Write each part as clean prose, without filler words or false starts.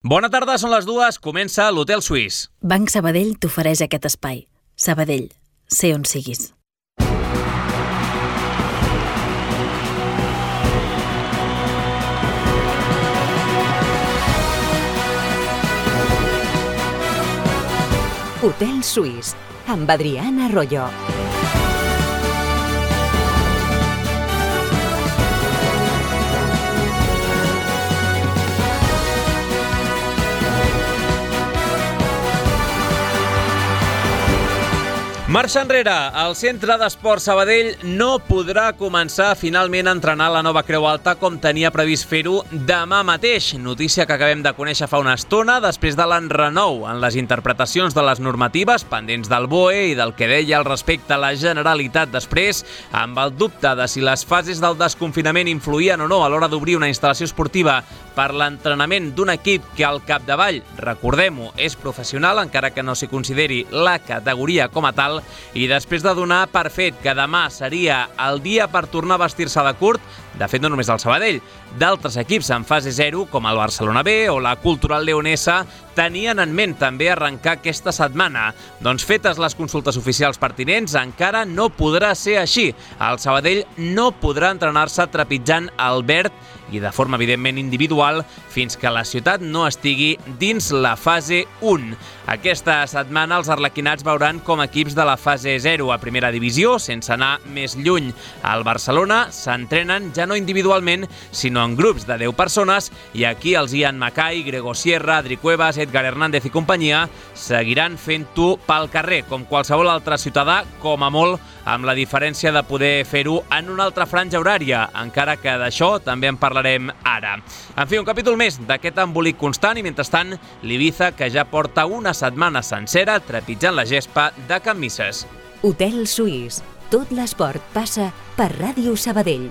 Bona tarda, són les 2, comença l'Hotel Suís. Banc Sabadell t'ofereix aquest espai. Sabadell, sé on siguis. Hotel Suís, amb Adriana Arroyo. Marxa enrere, el Centre d'Esports Sabadell no podrà començar finalment a entrenar la nova Creu Alta com tenia previst fer-ho demà mateix. Notícia que acabem de conèixer fa una estona després de l'enrenou en les interpretacions de les normatives pendents del BOE i del que deia al respecte a la Generalitat després, amb el dubte de si les fases del desconfinament influïen o no a l'hora d'obrir una instal·lació esportiva per l'entrenament d'un equip que al capdavall, recordem-ho, és professional, encara que no s'hi consideri la categoria com a tal, i després de donar per fet que demà seria el dia per tornar a vestir-se de curt, de fet no només del Sabadell, d'altres equips en fase 0, com el Barcelona B o la Cultural Leonesa, tenien en ment també arrencar aquesta setmana. Doncs fetes les consultes oficials pertinents, encara no podrà ser així. El Sabadell no podrà entrenar-se trepitjant el verd i de forma evidentment individual fins que la ciutat no estigui dins la fase 1. Aquesta setmana els arlequinats veuran com equips de la fase 0 a primera divisió, sense anar més lluny. Al Barcelona s'entrenen ja no individualment, sinó en grups de 10 persones, i aquí els Ian Mackay, Grego Sierra, Adri Cuevas, Edgar Hernández i companyia seguiran fent-ho pel carrer, com qualsevol altre ciutadà, com a molt, amb la diferència de poder fer-ho en una altra franja horària, encara que d'això també en parlarem ara. En fi, un capítol més d'aquest embolic constant i, mentrestant, l'Ibiza, que ja porta una setmana sencera trepitjant la gespa de Can Misses. Hotel Suís. Tot l'esport passa per Ràdio Sabadell.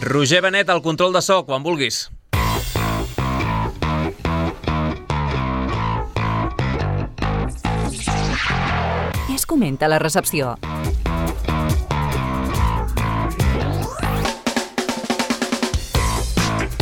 Roger Benet, al control de so, quan vulguis. Què es comenta a la recepció?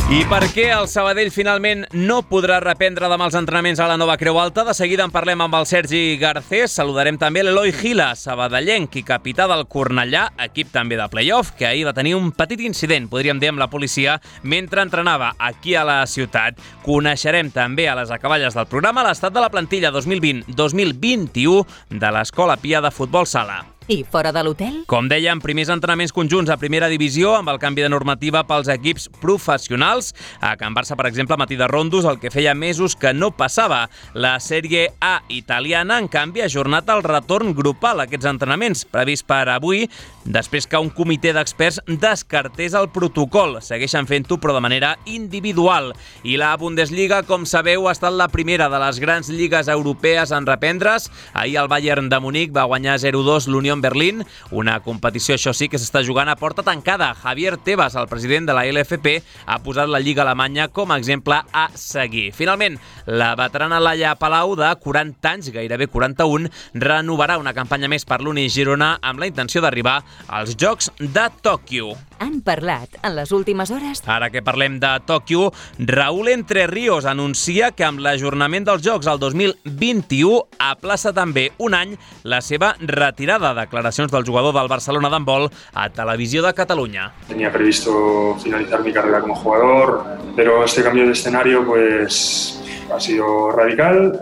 I per què el Sabadell finalment no podrà reprendre demà els entrenaments a la nova Creu Alta? De seguida en parlem amb el Sergi Garcés. Saludarem també l'Eloi Gila, sabadellenc i capità del Cornellà, equip també de play-off, que ahir va tenir un petit incident, podríem dir, amb la policia mentre entrenava aquí a la ciutat. Coneixerem també a les acaballes del programa l'estat de la plantilla 2020-2021 de l'Escola Pia de Futbol Sala. I fora de l'hotel? Com dèiem, primers entrenaments conjunts a primera divisió amb el canvi de normativa pels equips professionals. A Can Barça, per exemple, Matí de Rondos, el que feia mesos que no passava. La Sèrie A italiana, en canvi, ha ajornat el retorn grupal a aquests entrenaments, previst per avui, després que un comitè d'experts descartés el protocol. Segueixen fent-ho, però de manera individual. I la Bundesliga, com sabeu, ha estat la primera de les grans lligues europees en reprendre's. Ahir el Bayern de Munic va guanyar 0-2 l'Unió Berlín, una competició, això sí, que s'està jugant a porta tancada. Javier Tebas, el president de la LFP, ha posat la Lliga Alemanya com a exemple a seguir. Finalment, la veterana Laia Palau, de 40 anys, gairebé 41, renovarà una campanya més per l'Uni Girona amb la intenció d'arribar als Jocs de Tòquio. Han parlat en les últimes hores? Ara que parlem de Tòquio, Raúl Entre Ríos anuncia que amb l'ajornament dels Jocs al 2021 aplaça també un any la seva retirada. Declaracions del jugador del Barcelona d'handbol a Televisió de Catalunya. Tenía previsto finalizar mi carrera como jugador, pero este cambio de escenario pues ha sido radical.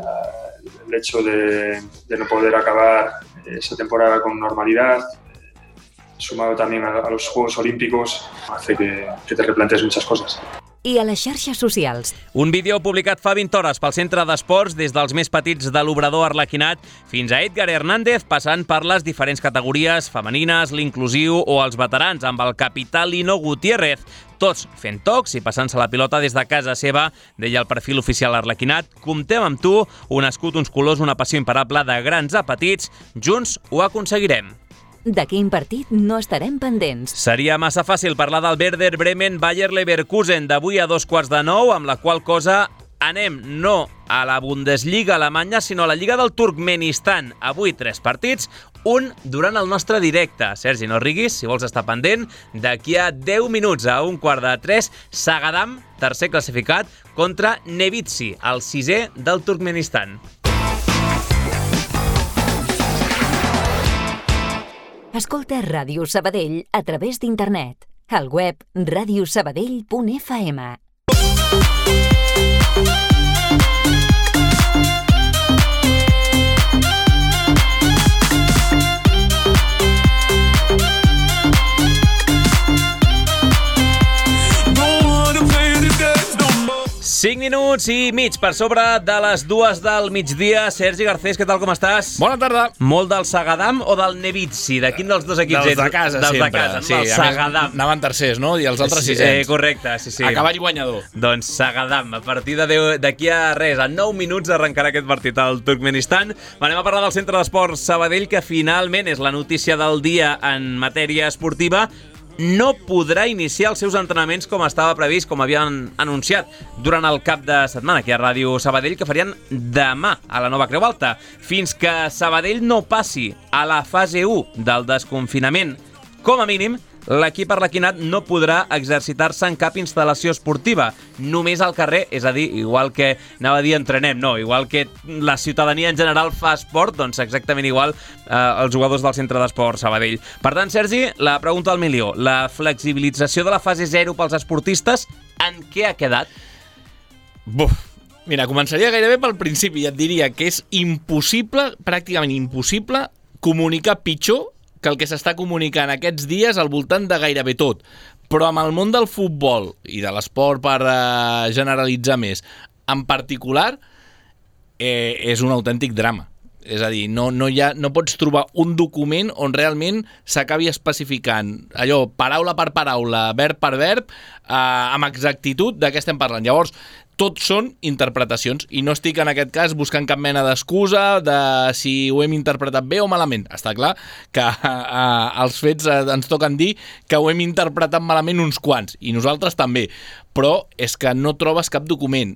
El hecho de no poder acabar esta temporada con normalidad, sumado también a los Juegos Olímpicos, hace que te replantees muchas cosas. I a les xarxes socials. Un vídeo publicat fa 20 hores pel Centre d'Esports, des dels més petits de l'obrador arlequinat fins a Edgar Hernández, passant per les diferents categories femenines, l'inclusiu o els veterans, amb el capità Lino Gutiérrez. Tots fent tocs i passant-se la pilota des de casa seva, deia el perfil oficial arlequinat. Comptem amb tu, un escut, uns colors, una passió imparable de grans a petits. Junts ho aconseguirem. De quin partit no estarem pendents? Seria massa fàcil parlar del Werder Bremen-Bayer Leverkusen d'avui a 8:15, amb la qual cosa anem no a la Bundesliga alemanya, sinó a la Lliga del Turkmenistan. Avui 3 partits, un durant el nostre directe. Sergi, no riguis, si vols estar pendent. D'aquí a 10 minuts, a 2:45, Sagadam, tercer classificat, contra Nevitsi, el 6è del Turkmenistan. Escolta Ràdio Sabadell a través d'internet. Al web radiosabadell.fm. Cinc minuts i mig per sobre de les 2 del migdia. Sergi Garcés, què tal, com estàs? Bona tarda. Molt del Sagadam o del Nevitsi? De quin dels dos equips ets? Dels de casa, dels sempre. De casa, sí, el Sagadam. Anaven tercers, no? I els altres sisens. Correcte, sí. A cavall guanyador. Doncs Sagadam, a partir d'aquí a res, a 9 minuts arrencarà aquest partit al Turkmenistan. Anem a parlar del Centre d'Esports Sabadell, que finalment és la notícia del dia en matèria esportiva. No podrà iniciar els seus entrenaments com estava previst, com havien anunciat durant el cap de setmana aquí a Ràdio Sabadell, que farien demà a la Nova Creu Alta, fins que Sabadell no passi a la fase 1 del desconfinament. Com a mínim, l'equip arlequinat no podrà exercitar-se en cap instal·lació esportiva, només al carrer, és a dir, igual que anava a dir entrenem, no, igual que la ciutadania en general fa esport, doncs exactament igual els jugadors del Centre d'Esports Sabadell. Per tant, Sergi, la pregunta al milió, la flexibilització de la fase 0 pels esportistes, en què ha quedat? Mira, començaria gairebé pel principi i et diria que és impossible, pràcticament impossible, comunicar pitjor que el que s'està comunicant aquests dies al voltant de gairebé tot. Però amb el món del futbol i de l'esport, per generalitzar més, en particular, és un autèntic drama. És a dir, no pots trobar un document on realment s'acabi especificant allò, paraula per paraula, verb per verb, amb exactitud de què estem parlant. Llavors, tot són interpretacions i no estic en aquest cas buscant cap mena d'excusa de si ho hem interpretat bé o malament. Està clar que els fets ens toquen dir que ho hem interpretat malament uns quants i nosaltres també, però és que no trobes cap document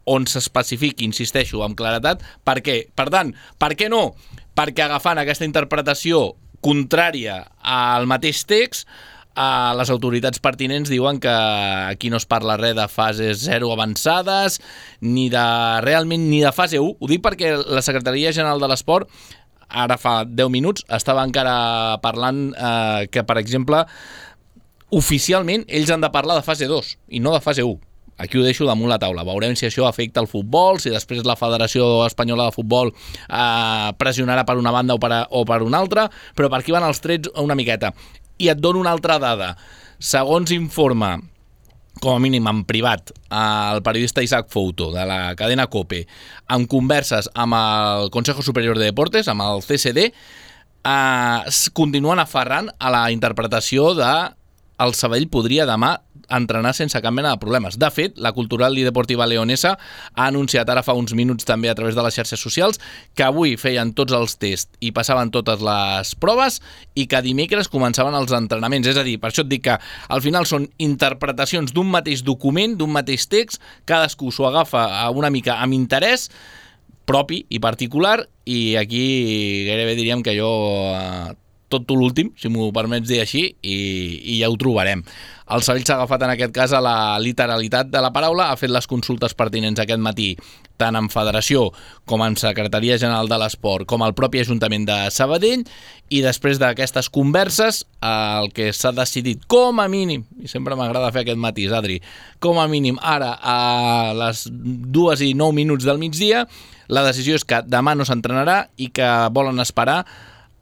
on s'especifiqui, insisteixo, amb claretat, per què. Per tant, per què no? Perquè agafant aquesta interpretació contrària al mateix text, les autoritats pertinents diuen que aquí no es parla res de fases 0 avançades, ni de fase 1. Ho dic perquè la Secretaria General de l'Esport, ara fa 10 minuts, estava encara parlant que, per exemple, oficialment ells han de parlar de fase 2 i no de fase 1. Aquí ho deixo damunt la taula. Veurem si això afecta el futbol, si després la Federació Espanyola de Futbol pressionarà per una banda o per una altra, però per aquí van els trets una miqueta. I et dono una altra dada. Segons informa, com a mínim en privat, el periodista Isaac Fouto, de la cadena COPE, amb converses amb el Consejo Superior de Deportes, amb el CSD, continuen aferrant a la interpretació de el Sabadell podria demà entrenar sense cap mena de problemes. De fet, la Cultural i Deportiva Leonesa ha anunciat ara fa uns minuts també a través de les xarxes socials que avui feien tots els tests i passaven totes les proves i que dimecres començaven els entrenaments. És a dir, per això et dic que al final són interpretacions d'un mateix document, d'un mateix text, cadascú s'ho agafa una mica amb interès propi i particular i aquí gairebé diríem que jo tot l'últim, si m'ho permets dir així, i ja ho trobarem. El Sabadell s'ha agafat en aquest cas a la literalitat de la paraula, ha fet les consultes pertinents aquest matí, tant en Federació com en Secretaria General de l'Esport, com al propi Ajuntament de Sabadell, i després d'aquestes converses, el que s'ha decidit com a mínim, i sempre m'agrada fer aquest matís, Adri, com a mínim ara a les 2:09 del migdia, la decisió és que demà no s'entrenarà i que volen esperar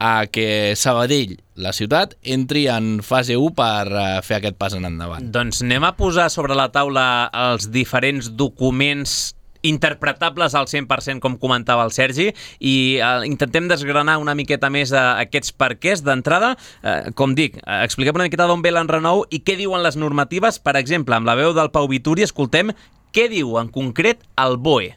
a que Sabadell, la ciutat, entri en fase 1 per fer aquest pas en endavant. Doncs anem a posar sobre la taula els diferents documents interpretables al 100%, com comentava el Sergi, i intentem desgranar una miqueta més aquests perquès d'entrada. Com dic, expliquem una miqueta d'on ve l'enrenou i què diuen les normatives. Per exemple, amb la veu del Pau Vituri, escoltem què diu en concret el BOE.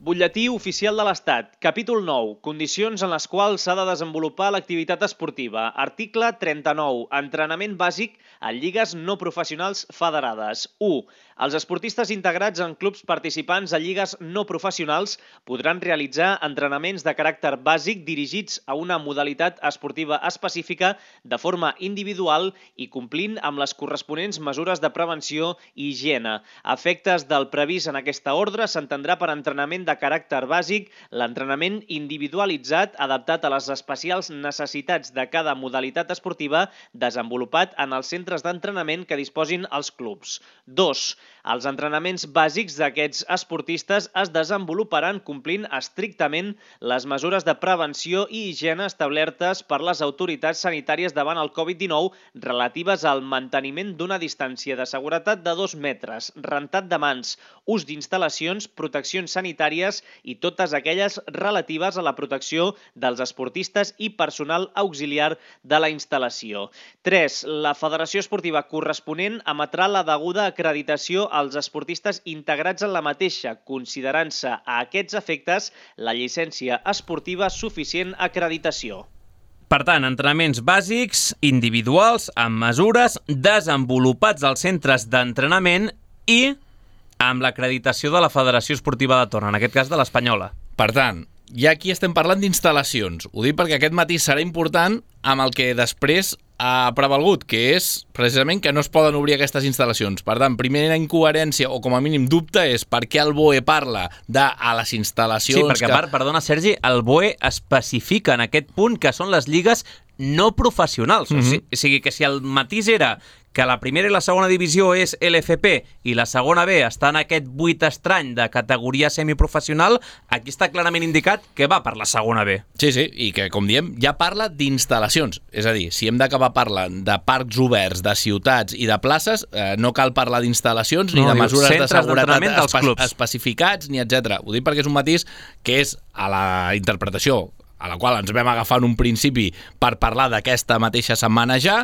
Butlletí oficial de l'Estat, capítol 9, condicions en les quals s'ha de desenvolupar l'activitat esportiva. Article 39, entrenament bàsic en lligues no professionals federades. 1. Els esportistes integrats en clubs participants a lligues no professionals podran realitzar entrenaments de caràcter bàsic dirigits a una modalitat esportiva específica de forma individual i complint amb les corresponents mesures de prevenció i higiene. A efectes del previst en aquesta ordre, s'entendrà per entrenament de caràcter bàsic l'entrenament individualitzat adaptat a les especials necessitats de cada modalitat esportiva desenvolupat en els centres d'entrenament que disposin els clubs. 2. Els entrenaments bàsics d'aquests esportistes es desenvoluparan complint estrictament les mesures de prevenció i higiene establertes per les autoritats sanitàries davant el Covid-19 relatives al manteniment d'una distància de seguretat de 2 metres, rentat de mans, ús d'instal·lacions, proteccions sanitàries i totes aquelles relatives a la protecció dels esportistes i personal auxiliar de la instal·lació. 3. La federació esportiva corresponent emetrà la deguda acreditació als esportistes integrats en la mateixa, considerant-se a aquests efectes la llicència esportiva suficient acreditació. Per tant, entrenaments bàsics, individuals, amb mesures, desenvolupats als centres d'entrenament i amb l'acreditació de la Federació Esportiva de Torn, en aquest cas de l'Espanyola. Per tant, ja aquí estem parlant d'instal·lacions. Ho dic perquè aquest matí serà important amb el que després ha prevalgut, que és precisament que no es poden obrir aquestes instal·lacions. Per tant, primera incoherència, o com a mínim dubte, és per què el BOE parla de a les instal·lacions... Sí, perquè perdona, Sergi, el BOE especifica en aquest punt que són les lligues no professionals. O sigui que si el matís era que la primera i la segona divisió és LFP i la segona B està en aquest buit estrany de categoria semiprofessional, aquí està clarament indicat que va per la segona B. Sí, i que, com diem, ja parla d'instal·lacions. És a dir, si hem d'acabar parlant de parcs oberts, de ciutats i de places, no cal parlar d'instal·lacions ni de mesures de seguretat especificats, ni etc. Ho dic perquè és un matís que és a la interpretació a la qual ens vam agafar en un principi per parlar d'aquesta mateixa setmana ja,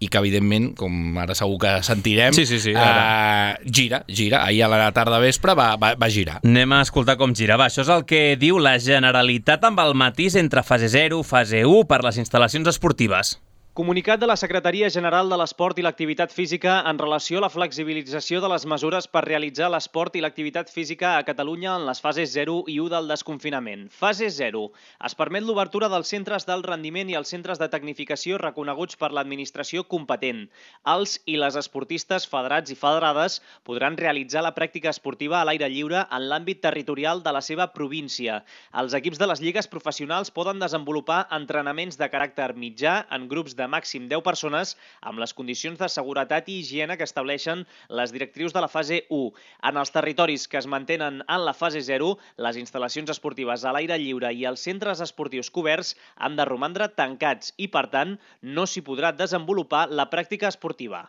i que, evidentment, com ara segur que sentirem, gira. Ahir a la tarda vespre va girar. Anem a escoltar com gira. Això és el que diu la Generalitat amb el matís entre fase 0 i fase 1 per les instal·lacions esportives. Comunicat de la Secretaria General de l'Esport i l'Activitat Física en relació a la flexibilització de les mesures per realitzar l'esport i l'activitat física a Catalunya en les fases 0 i 1 del desconfinament. Fase 0. Es permet l'obertura dels centres d'alt rendiment i els centres de tecnificació reconeguts per l'administració competent. Els i les esportistes federats i federades podran realitzar la pràctica esportiva a l'aire lliure en l'àmbit territorial de la seva província. Els equips de les lligues professionals poden desenvolupar entrenaments de caràcter mitjà en grups de màxim 10 persones amb les condicions de seguretat i higiene que estableixen les directrius de la fase 1. En els territoris que es mantenen en la fase 0, les instal·lacions esportives a l'aire lliure i els centres esportius coberts han de romandre tancats i, per tant, no s'hi podrà desenvolupar la pràctica esportiva.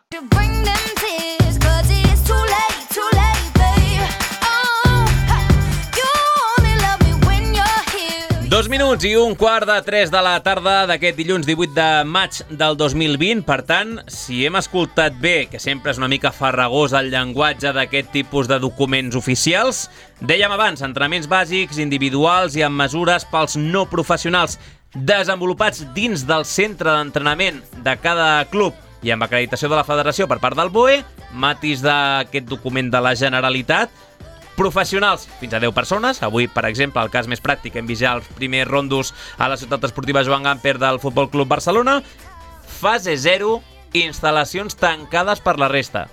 2 minuts i 2:15 de la tarda d'aquest dilluns 18 de maig del 2020. Per tant, si hem escoltat bé, que sempre és una mica farragós el llenguatge d'aquest tipus de documents oficials, dèiem abans, entrenaments bàsics, individuals i amb mesures pels no professionals desenvolupats dins del centre d'entrenament de cada club i amb acreditació de la federació per part del BOE, matís d'aquest document de la Generalitat, professionals, fins a 10 persones. Avui, per exemple, el cas més pràctic, hem vist ja els primers rondos a la ciutat esportiva Joan Gamper del Futbol Club Barcelona. Fase 0, instal·lacions tancades per la resta.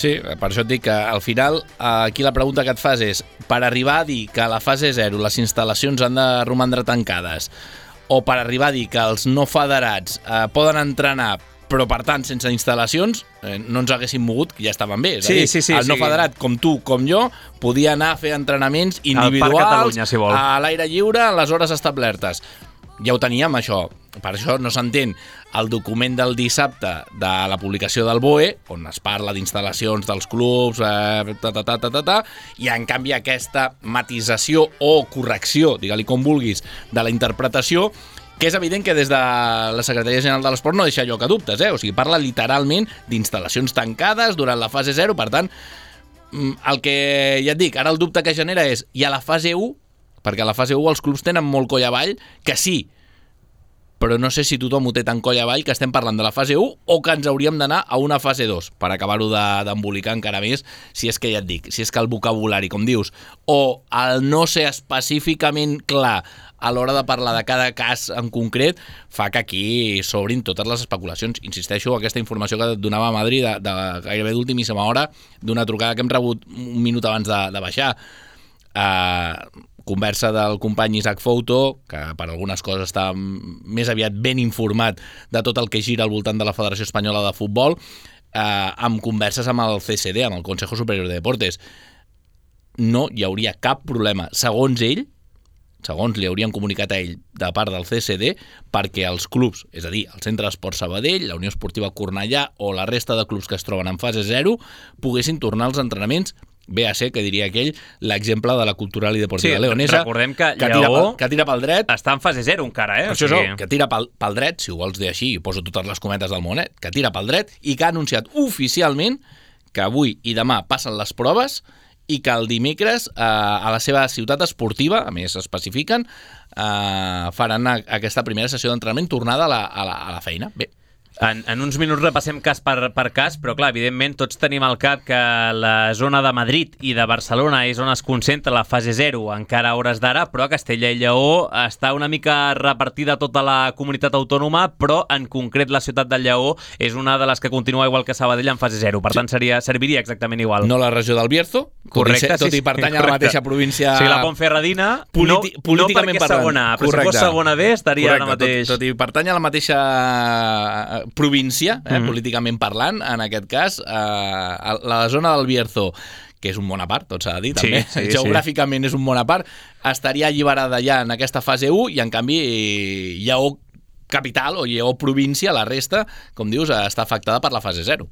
Sí, per això et dic que al final aquí la pregunta que et fas és, per arribar a dir que a la fase 0 les instal·lacions han de romandre tancades, o per arribar a dir que els no federats poden entrenar però per tant sense instal·lacions, no ens haguéssim mogut, que ja estaven bé. És a dir, el no federat, com tu, com jo, podia anar a fer entrenaments individuals a l'aire lliure en les hores establertes. Ja ho teníem, això. Per això no s'entén el document del dissabte de la publicació del BOE, on es parla d'instal·lacions dels clubs, i en canvi aquesta matisació o correcció, digue-li com vulguis, de la interpretació, que és evident que des de la Secretaria General de l'Esport no deixa lloc a dubtes, O sigui, parla literalment d'instal·lacions tancades durant la fase 0, per tant, el que ja et dic, ara el dubte que genera és, i a la fase 1 perquè a la fase 1 els clubs tenen molt coll avall, que sí, però no sé si tothom ho té tan coll avall que estem parlant de la fase 1 o que ens hauríem d'anar a una fase 2 per acabar-ho d'embolicar encara més, si és que ja et dic, si és que el vocabulari, com dius, o el no ser específicament clar a l'hora de parlar de cada cas en concret, fa que aquí s'obrin totes les especulacions. Insisteixo, aquesta informació que et donava a Madrid de gairebé d'ultimíssima hora, d'una trucada que hem rebut un minut abans de baixar, conversa del company Isaac Fouto, que per algunes coses està més aviat ben informat de tot el que gira al voltant de la Federació Espanyola de Futbol, amb converses amb el CSD, amb el Consejo Superior de Deportes. No hi hauria cap problema, segons ell, segons li haurien comunicat a ell de part del CSD, perquè els clubs, és a dir, el Centre d'Esport Sabadell, la Unió Esportiva Cornellà o la resta de clubs que es troben en fase 0 poguessin tornar als entrenaments. Ve a ser, que diria aquell, l'exemple de la Cultural i Deportiva Leonesa, recordem que Lleó que tira pel dret. Està en fase 0 encara, Això és que tira pel dret, si ho vols dir així, i poso totes les cometes del món, que tira pel dret i que ha anunciat oficialment que avui i demà passen les proves i que el dimecres a la seva ciutat esportiva, a més especifiquen, faran aquesta primera sessió d'entrenament tornada a la feina. Bé. En uns minuts repassem cas per cas, però clar, evidentment tots tenim al cap que la zona de Madrid i de Barcelona és on es concentra la fase 0, encara a hores d'ara, però a Castella i Lleó està una mica repartida tota la comunitat autònoma, però en concret la ciutat del Lleó és una de les que continua igual que Sabadell en fase 0, per tant serviria exactament igual. No la regió del Bierzo, correcte, tot i pertany a la mateixa província... Sí, la Ponferradina, políticament no perquè és segona, però si fos segona B estaria ara mateix... Tot i pertany a la mateixa província, políticament parlant, en aquest cas, la zona del Bierzo, que és un món a part, tot s'ha de dir, també. Sí, geogràficament és un món a part, estaria alliberada ja en aquesta fase 1 i, en canvi, Lleó capital o Lleó província, la resta, com dius, està afectada per la fase 0.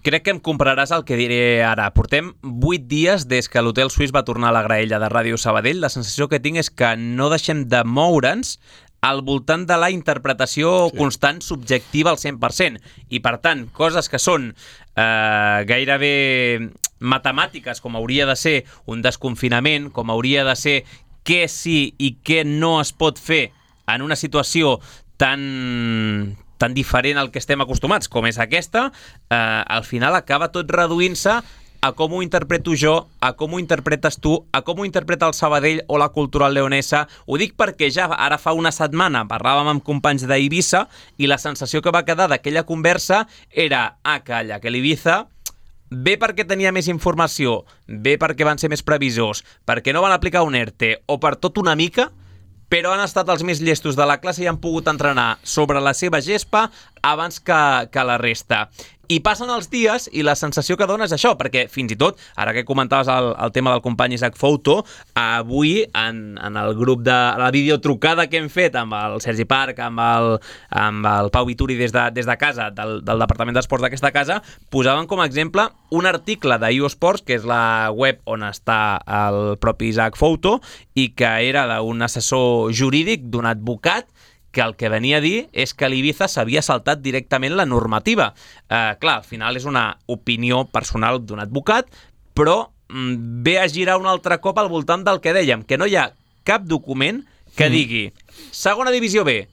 Crec que em compraràs el que diré ara. Portem 8 dies des que l'Hotel Suís va tornar a la graella de Ràdio Sabadell. La sensació que tinc és que no deixem de moure'ns al voltant de la interpretació constant subjectiva al 100%. I, per tant, coses que són gairebé matemàtiques, com hauria de ser un desconfinament, com hauria de ser què sí i què no es pot fer en una situació tan diferent al que estem acostumats com és aquesta, al final acaba tot reduint-se a com ho interpreto jo, a com ho interpretes tu, a com ho interpreta el Sabadell o la Cultural Leonesa. Ho dic perquè ja ara fa una setmana parlàvem amb companys d'Eivissa i la sensació que va quedar d'aquella conversa era, calla, que l'Ibiza bé perquè tenia més informació, bé perquè van ser més previsors, perquè no van aplicar un ERTE o per tot una mica, però han estat els més llestos de la classe i han pogut entrenar sobre la seva gespa abans que la resta. I passen els dies i la sensació que dona és això, perquè fins i tot, ara que comentaves el tema del company Isaac Fouto, avui en el grup de la videotrucada que hem fet amb el Sergi Parc, amb el Pau Vituri des de casa, del Departament d'Esports d'aquesta casa, posaven com a exemple un article d'IO Sports, que és la web on està el propi Isaac Fouto, i que era d'un assessor jurídic, d'un advocat, que el que venia a dir és que l'Ibiza s'havia saltat directament la normativa. Clar, al final és una opinió personal d'un advocat, però ve a girar un altre cop al voltant del que dèiem, que no hi ha cap document que digui segona divisió B,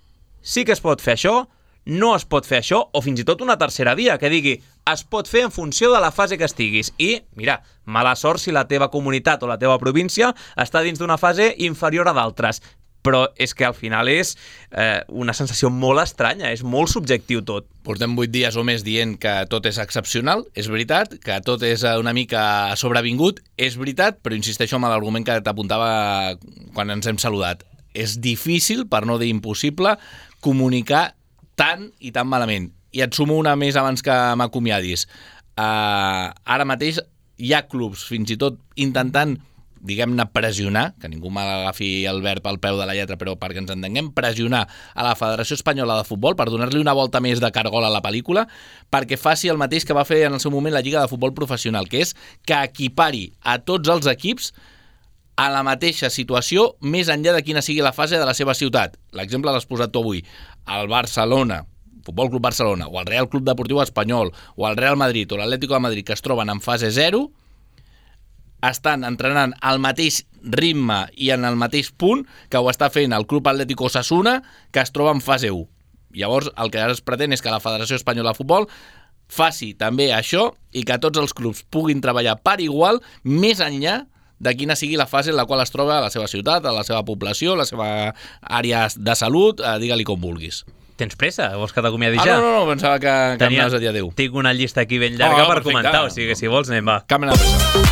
sí que es pot fer això, no es pot fer això, o fins i tot una tercera via, que digui es pot fer en funció de la fase que estiguis. I, mira, mala sort si la teva comunitat o la teva província està dins d'una fase inferior a d'altres. Però és que al final és una sensació molt estranya, és molt subjectiu tot. Portem 8 dies o més dient que tot és excepcional, és veritat, que tot és una mica sobrevingut, és veritat, però insisteixo amb l'argument que t'apuntava quan ens hem saludat. És difícil, per no dir impossible, comunicar tant i tan malament. I et sumo una més abans que m'acomiadis. Ara mateix hi ha clubs, fins i tot intentant, diguem-ne, pressionar, que ningú m'agafi el verb al peu de la lletra, però perquè ens entenguem, pressionar a la Federació Espanyola de Futbol per donar-li una volta més de cargol a la pel·lícula, perquè faci el mateix que va fer en el seu moment la Lliga de Futbol Professional, que és que equipari a tots els equips a la mateixa situació, més enllà de quina sigui la fase de la seva ciutat. L'exemple l'has posat tu avui. El Barcelona, Futbol Club Barcelona, o el Real Club Deportiu Espanyol, o el Real Madrid, o l'Atlético de Madrid, que es troben en fase 0, estan entrenant al mateix ritme i en el mateix punt que ho està fent el Club Atlético Osasuna, que es troba en fase 1. Llavors, el que es pretén és que la Federació Espanyola de Futbol faci també això i que tots els clubs puguin treballar per igual més enllà de quina sigui la fase en la qual es troba a la seva ciutat, a la seva població, a la seva àrea de salut, digue-li com vulguis. Tens pressa? Vols que t'acomiadi ja? No, pensava que em anaves a dir adéu. Tinc una llista aquí ben llarga per perfecte. comentar, o sigui que si vols anem, va. Cap mena de pressa.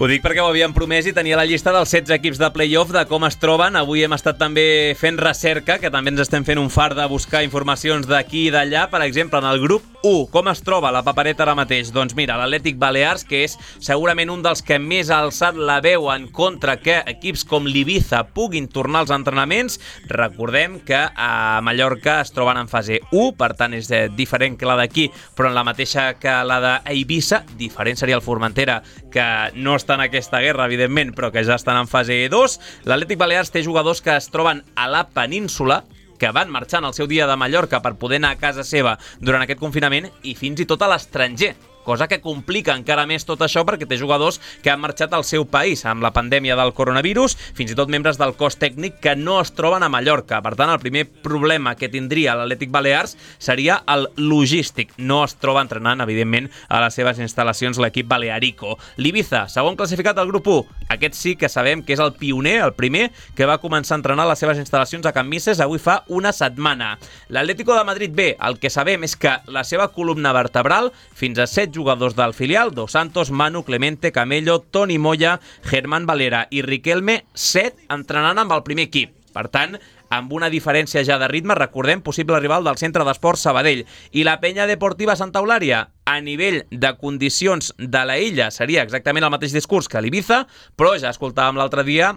Ho dic perquè ho havíem promès i tenia la llista dels 16 equips de play-off de com es troben. Avui hem estat també fent recerca, que també ens estem fent un fart de buscar informacions d'aquí i d'allà. Per exemple, en el grup 1, com es troba la papereta ara mateix? Doncs mira, l'Atlètic Balears, que és segurament un dels que més ha alçat la veu en contra que equips com l'Ibiza puguin tornar als entrenaments. Recordem que a Mallorca es troben en fase 1, per tant és diferent que la d'aquí, però en la mateixa que la d'Eivissa. Diferent seria el Formentera, que no està en aquesta guerra, evidentment, però que ja estan en fase 2. L'Atlètic Balears té jugadors que es troben a la península, que van marxant al seu dia de Mallorca per poder anar a casa seva durant aquest confinament i fins i tot a l'estranger, cosa que complica encara més tot això perquè té jugadors que han marxat al seu país amb la pandèmia del coronavirus, fins i tot membres del cos tècnic que no es troben a Mallorca. Per tant, el primer problema que tindria l'Atlètic Balears seria el logístic. No es troba entrenant, evidentment, a les seves instal·lacions l'equip balearico. L'Ibiza, segon classificat del grup 1. Aquest sí que sabem que és el pioner, el primer, que va començar a entrenar a les seves instal·lacions a Can Misses avui fa una setmana. L'Atlético de Madrid B, el que sabem és que la seva columna vertebral, fins a 7 jugadors del filial, Dos Santos, Manu, Clemente, Camello, Toni Moya, Germán Valera i Riquelme, 7 entrenant amb el primer equip. Per tant, amb una diferència ja de ritme, recordem, possible rival del Centre d'Esports Sabadell. I la Penya Deportiva Santa Eulària, a nivell de condicions de la illa, seria exactament el mateix discurs que l'Ibiza, però ja escoltàvem l'altre dia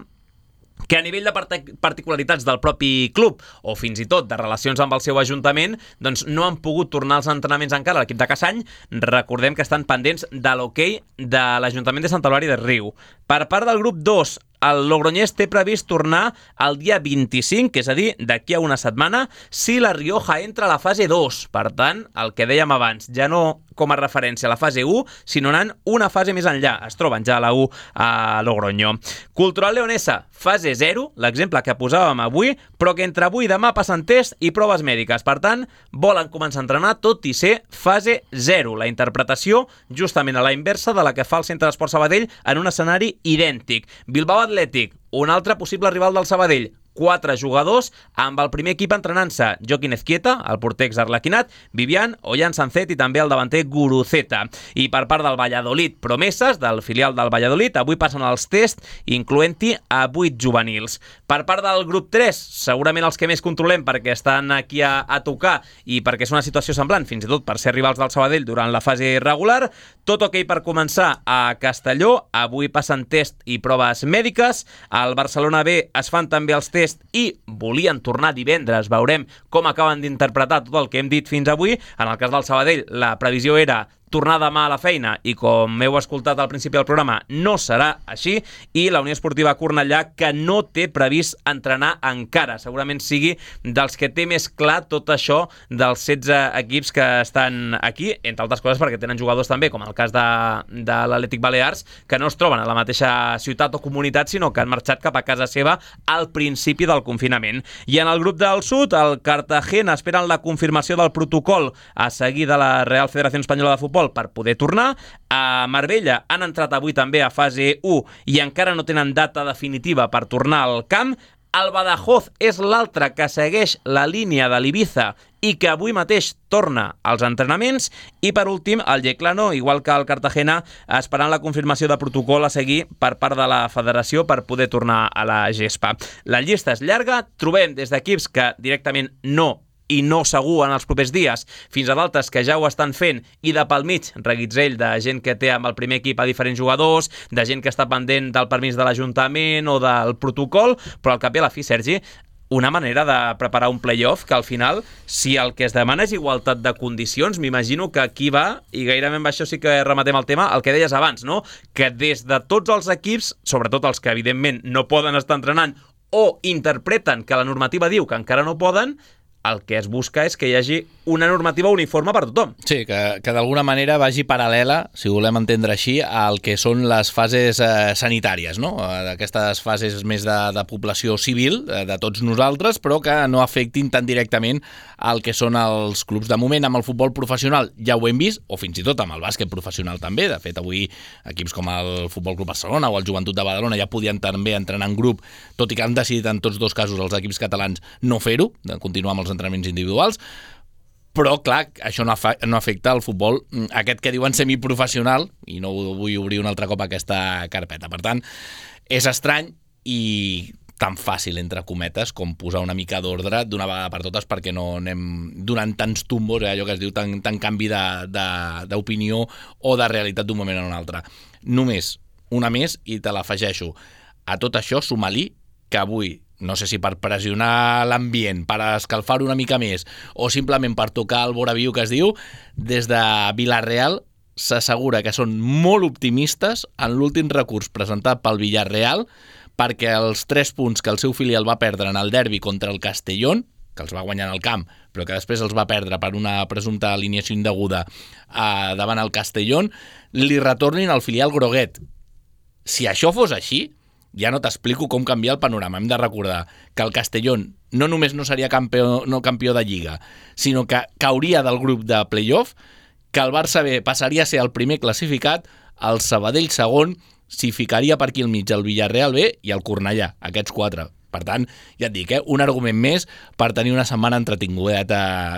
que a nivell de particularitats del propi club o fins i tot de relacions amb el seu ajuntament, doncs no han pogut tornar als entrenaments encara. L'equip de Cassany, recordem que estan pendents de l'hoquei de l'Ajuntament de Santa Eulària de Riu. Per part del grup 2, el Logroñés té previst tornar el dia 25, que és a dir, d'aquí a una setmana, si la Rioja entra a la fase 2. Per tant, el que dèiem abans, ja no com a referència a la fase 1, sinó anant una fase més enllà. Es troben ja a la 1 a Logroño. Cultural Leonesa, fase 0, l'exemple que posàvem avui, però que entre avui i demà passen test i proves mèdiques. Per tant, volen començar a entrenar tot i ser fase 0. La interpretació justament a la inversa de la que fa el Centre d'Esports Sabadell en un escenari idèntic. Bilbao Atlètic, un altre possible rival del Sabadell. 4 jugadors amb el primer equip entrenant-se: Joaquín Ezquieta, el porter exarlequinat, Vivian, Ollán Sancet i també el davanter Guruceta. I per part del Valladolid, promeses del filial del Valladolid, avui passen els tests, incloent-hi a 8 juvenils. Per part del grup 3, segurament els que més controlem perquè estan aquí a tocar i perquè és una situació semblant, fins i tot per ser rivals del Sabadell durant la fase regular. Tot ok per començar a Castelló, avui passen test i proves mèdiques. Al Barcelona B es fan també els tests i volien tornar divendres. Veurem com acaben d'interpretar tot el que hem dit fins avui. En el cas del Sabadell, la previsió era tornar demà a la feina i, com heu escoltat al principi del programa, no serà així. I la Unió Esportiva Cornellà, que no té previst entrenar encara. Segurament sigui dels que té més clar tot això dels 16 equips que estan aquí, entre altres coses perquè tenen jugadors també, com el cas de l'Atlètic Balears, que no es troben a la mateixa ciutat o comunitat, sinó que han marxat cap a casa seva al principi del confinament. I en el grup del sud, el Cartagena esperen la confirmació del protocol a seguir de la Real Federació Espanyola de Futbol per poder tornar. A Marbella han entrat avui també a fase 1 i encara no tenen data definitiva per tornar al camp. El Badajoz és l'altre que segueix la línia de l'Ibiza i que avui mateix torna als entrenaments. I per últim, el Yeclano, igual que el Cartagena, esperant la confirmació de protocol a seguir per part de la federació per poder tornar a la gespa. La llista és llarga, trobem des d'equips que directament no i no segur en els propers dies, fins a d'altres que ja ho estan fent, i de pel mig, reguitzell de gent que té amb el primer equip a diferents jugadors, de gent que està pendent del permís de l'Ajuntament o del protocol, però al cap i a la fi, Sergi, una manera de preparar un play-off que al final, si el que es demana és igualtat de condicions, m'imagino que aquí va, i gairebé amb això sí que rematem el tema, el que deies abans, no? Que des de tots els equips, sobretot els que evidentment no poden estar entrenant o interpreten que la normativa diu que encara no poden, el que es busca és que hi hagi una normativa uniforme per tothom. Sí, que d'alguna manera vagi paral·lela, si volem entendre així, al que són les fases sanitàries, no? Aquestes fases més de població civil, de tots nosaltres, però que no afectin tan directament al que són els clubs. De moment, amb el futbol professional ja ho hem vist, o fins i tot amb el bàsquet professional també. De fet, avui equips com el Futbol Club Barcelona o el Joventut de Badalona ja podien també entrenar en grup, tot i que han decidit en tots dos casos els equips catalans no fer-ho, de continuar amb els entrenaments individuals. Però, clar, això no afecta el futbol, aquest que diuen semiprofessional, i no vull obrir un altre cop aquesta carpeta. Per tant, és estrany i tan fàcil, entre cometes, com posar una mica d'ordre d'una vegada per totes perquè no anem donant tants tumbos, allò que es diu, tant canvi d'opinió o de realitat d'un moment a un altre. Només una més, i te l'afegeixo. A tot això, suma-li que avui, no sé si per pressionar l'ambient, per escalfar una mica més, o simplement per tocar el voraviu que es diu, des de Vila-real s'assegura que són molt optimistes en l'últim recurs presentat pel Villarreal perquè els 3 punts que el seu filial va perdre en el derbi contra el Castellón, que els va guanyar en el camp, però que després els va perdre per una presumpta alineació indeguda davant el Castellón, li retornin al filial groguet. Si això fos així, ja no t'explico com canviar el panorama. Hem de recordar que el Castellón no només no seria campió de Lliga, sinó que cauria del grup de play-off, que el Barça B passaria a ser el primer classificat, el Sabadell segon, s'hi ficaria per aquí al mig el Villarreal B i el Cornellà, aquests 4. Per tant, ja et dic, un argument més per tenir una setmana entretinguda,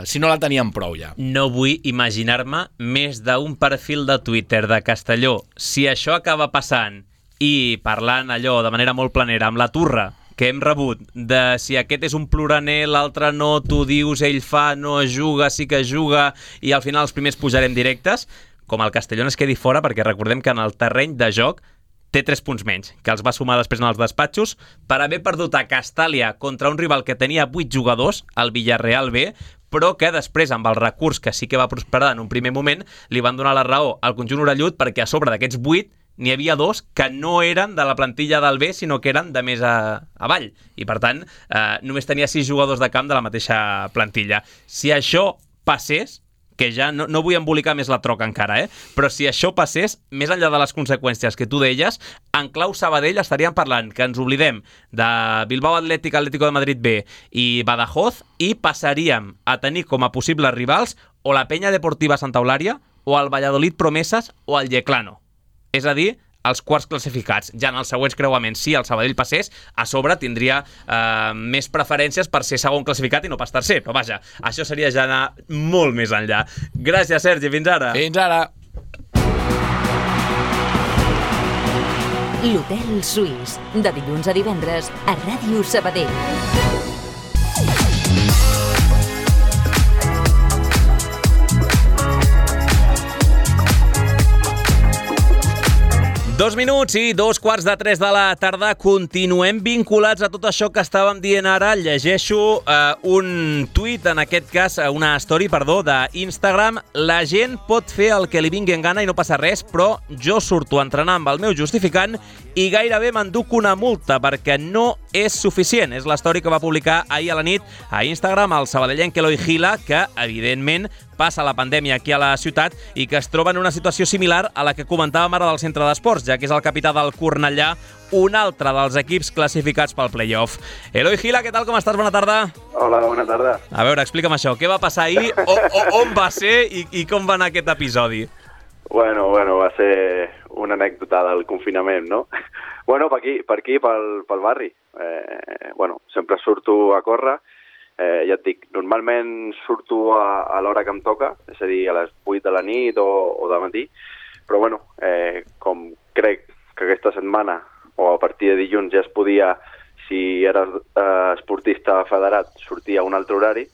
si no la teníem prou ja. No vull imaginar-me més d'un perfil de Twitter de Castelló. Si això acaba passant i parlant allò de manera molt planera amb la turra que hem rebut, de si aquest és un ploraner, l'altre no, tu dius, ell fa, no es juga, sí que es juga, i al final els primers pujarem directes, com el Castellón es quedi fora, perquè recordem que en el terreny de joc té 3 punts menys, que els va sumar després en els despatxos, per haver perdut a Castàlia contra un rival que tenia 8 jugadors, el Villarreal B, però que després, amb el recurs que sí que va prosperar en un primer moment, li van donar la raó al conjunt orellut, perquè a sobre d'aquests 8 n'hi havia 2 que no eren de la plantilla del B, sinó que eren de més avall. I, per tant, només tenia 6 jugadors de camp de la mateixa plantilla. Si això passés, que ja no vull embolicar més la troca encara, però si això passés, més enllà de les conseqüències que tu deies, en clau Sabadell estaríem parlant que ens oblidem de Bilbao Athletic, Atlético de Madrid B i Badajoz, i passaríem a tenir com a possibles rivals o la Penya Deportiva Santa Eulària, o el Valladolid Promesas, o el Yeclano. És a dir, els quarts classificats. Ja en els següents creuaments, si el Sabadell passés, a sobre tindria més preferències per ser segon classificat i no pas tercer. Però vaja, això seria ja anar molt més enllà. Gràcies, Sergi. Fins ara. Fins ara. L'Hotel Suís, de dilluns a divendres a Ràdio Sabadell. 2 minuts i 2:45 de la tarda. Continuem vinculats a tot això que estàvem dient ara. Llegeixo un tuit, en aquest cas, una story, d'Instagram. La gent pot fer el que li vingui en gana i no passa res, però jo surto a entrenar amb el meu justificant i gairebé m'enduc una multa perquè no és suficient. És la story que va publicar ahir a la nit a Instagram el sabadellenc Eloi Gila, que, evidentment, passa la pandèmia aquí a la ciutat i que es troba en una situació similar a la que comentàvem ara del centre d'esports, ja que és el capità del Cornellà, un altre dels equips classificats pel play-off. Eloi Gila, què tal, com estàs? Bona tarda. Hola, bona tarda. A veure, explica'm això. Què va passar ahir? On va ser i com va anar aquest episodi? Bueno, va ser una anècdota del confinament, no? Bueno, per aquí, pel barri. Sempre surto a córrer. Ja et dic, normalment surto a l'hora que em toca, és a dir, a les 8 de la nit o de matí, però com crec que aquesta setmana o a partir de dilluns ja es podia, si eres esportista federat, sortir a un altre horari,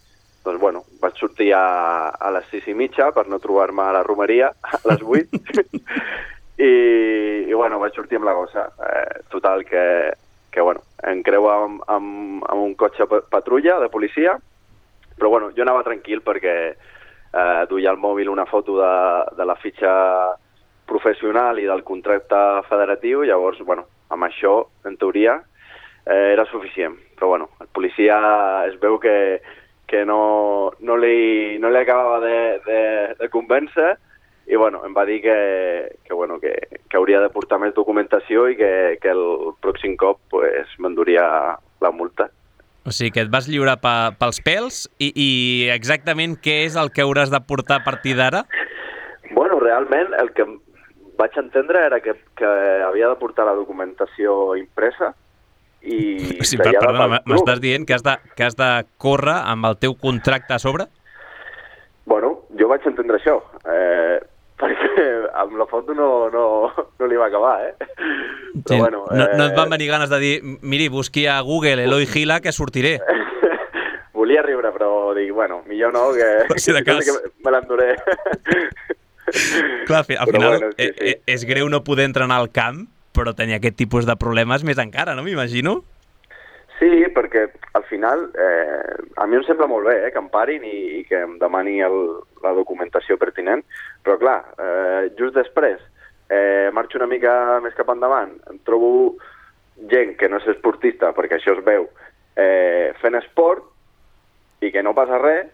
doncs vaig sortir a les 6:30 per no trobar-me a la romeria a les 8 i vaig sortir amb la gossa. Total, que em creu amb un cotxe patrulla de policia, però jo anava tranquil perquè duia al mòbil una foto de la fitxa professional i del contracte federatiu, llavors, amb això, en teoria, era suficient. Però el policia es veu que no li acabava de convèncer i bueno, em va dir que hauria de portar més documentació i que el pròxim cop pues, m'enduria la multa. O sigui que et vas lliurar pels pèls i exactament què és el que hauràs de portar a partir d'ara? Bueno, realment el que vaig entendre era que havia de portar la documentació impresa i... Sí, perdona, m'estàs dient que has de córrer amb el teu contracte a sobre? Bueno, jo vaig entendre això, perquè amb la foto no li va acabar, Però sí, bueno... No et van venir ganes de dir, miri, busqui a Google Eloi Gila que sortiré. Volia riure, però dic, bueno, millor no, que, si de cas... que me l'enduré. Clar, al final bueno, sí. És greu no poder entrenar al camp, però tenir aquest tipus de problemes més encara, no m'imagino? Sí, perquè al final a mi em sembla molt bé que em parin i que em demani la documentació pertinent, però clar, just després marxo una mica més cap endavant, em trobo gent que no és esportista, perquè això es veu, fent esport i que no passa res,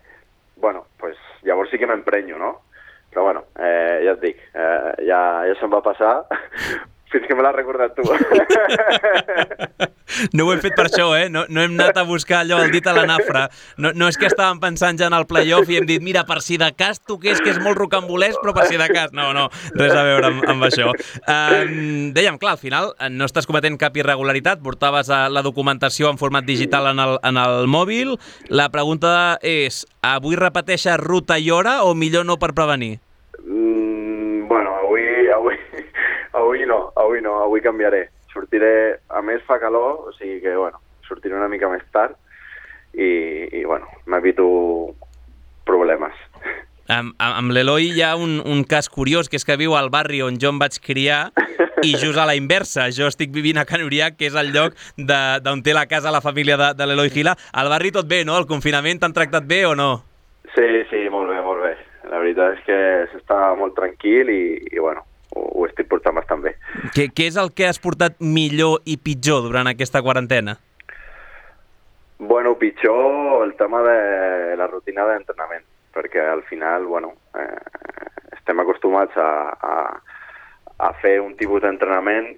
bueno, pues llavors sí que m'emprenyo, no? Però bueno, ja et dic, ja se'm va passar, fins que me l'has recordat tu. No ho hem fet per això, No hem anat a buscar allò, el dit a la nafra. No és que estàvem pensant ja en el play-off i hem dit, mira, per si de cas toqués, que és molt rocambolès, però per si de cas... No, res a veure amb això. Dèiem, clar, al final no estàs cometent cap irregularitat, portaves la documentació en format digital en el mòbil. La pregunta és, avui repeteixes ruta i hora o millor no per prevenir? Bueno, avui no, avui canviaré. Sortiré, a més fa calor, o sigui que, bueno, sortiré una mica més tard i bueno, m'evito problemes. Amb l'Eloi hi ha un cas curiós, que és que viu al barri on jo em vaig criar i just a la inversa. Jo estic vivint a Can Uriac, que és el lloc d'on té la casa la família de l'Eloi Gila. Al barri tot bé, no? El confinament t'han tractat bé o no? Sí, molt bé, molt bé. La veritat és que s'està molt tranquil i bueno, ho estic portant bastant bé. Què és el que has portat millor i pitjor durant aquesta quarantena? Bueno, pitjor el tema de la rutina d'entrenament, perquè al final, bueno, estem acostumats a fer un tipus d'entrenament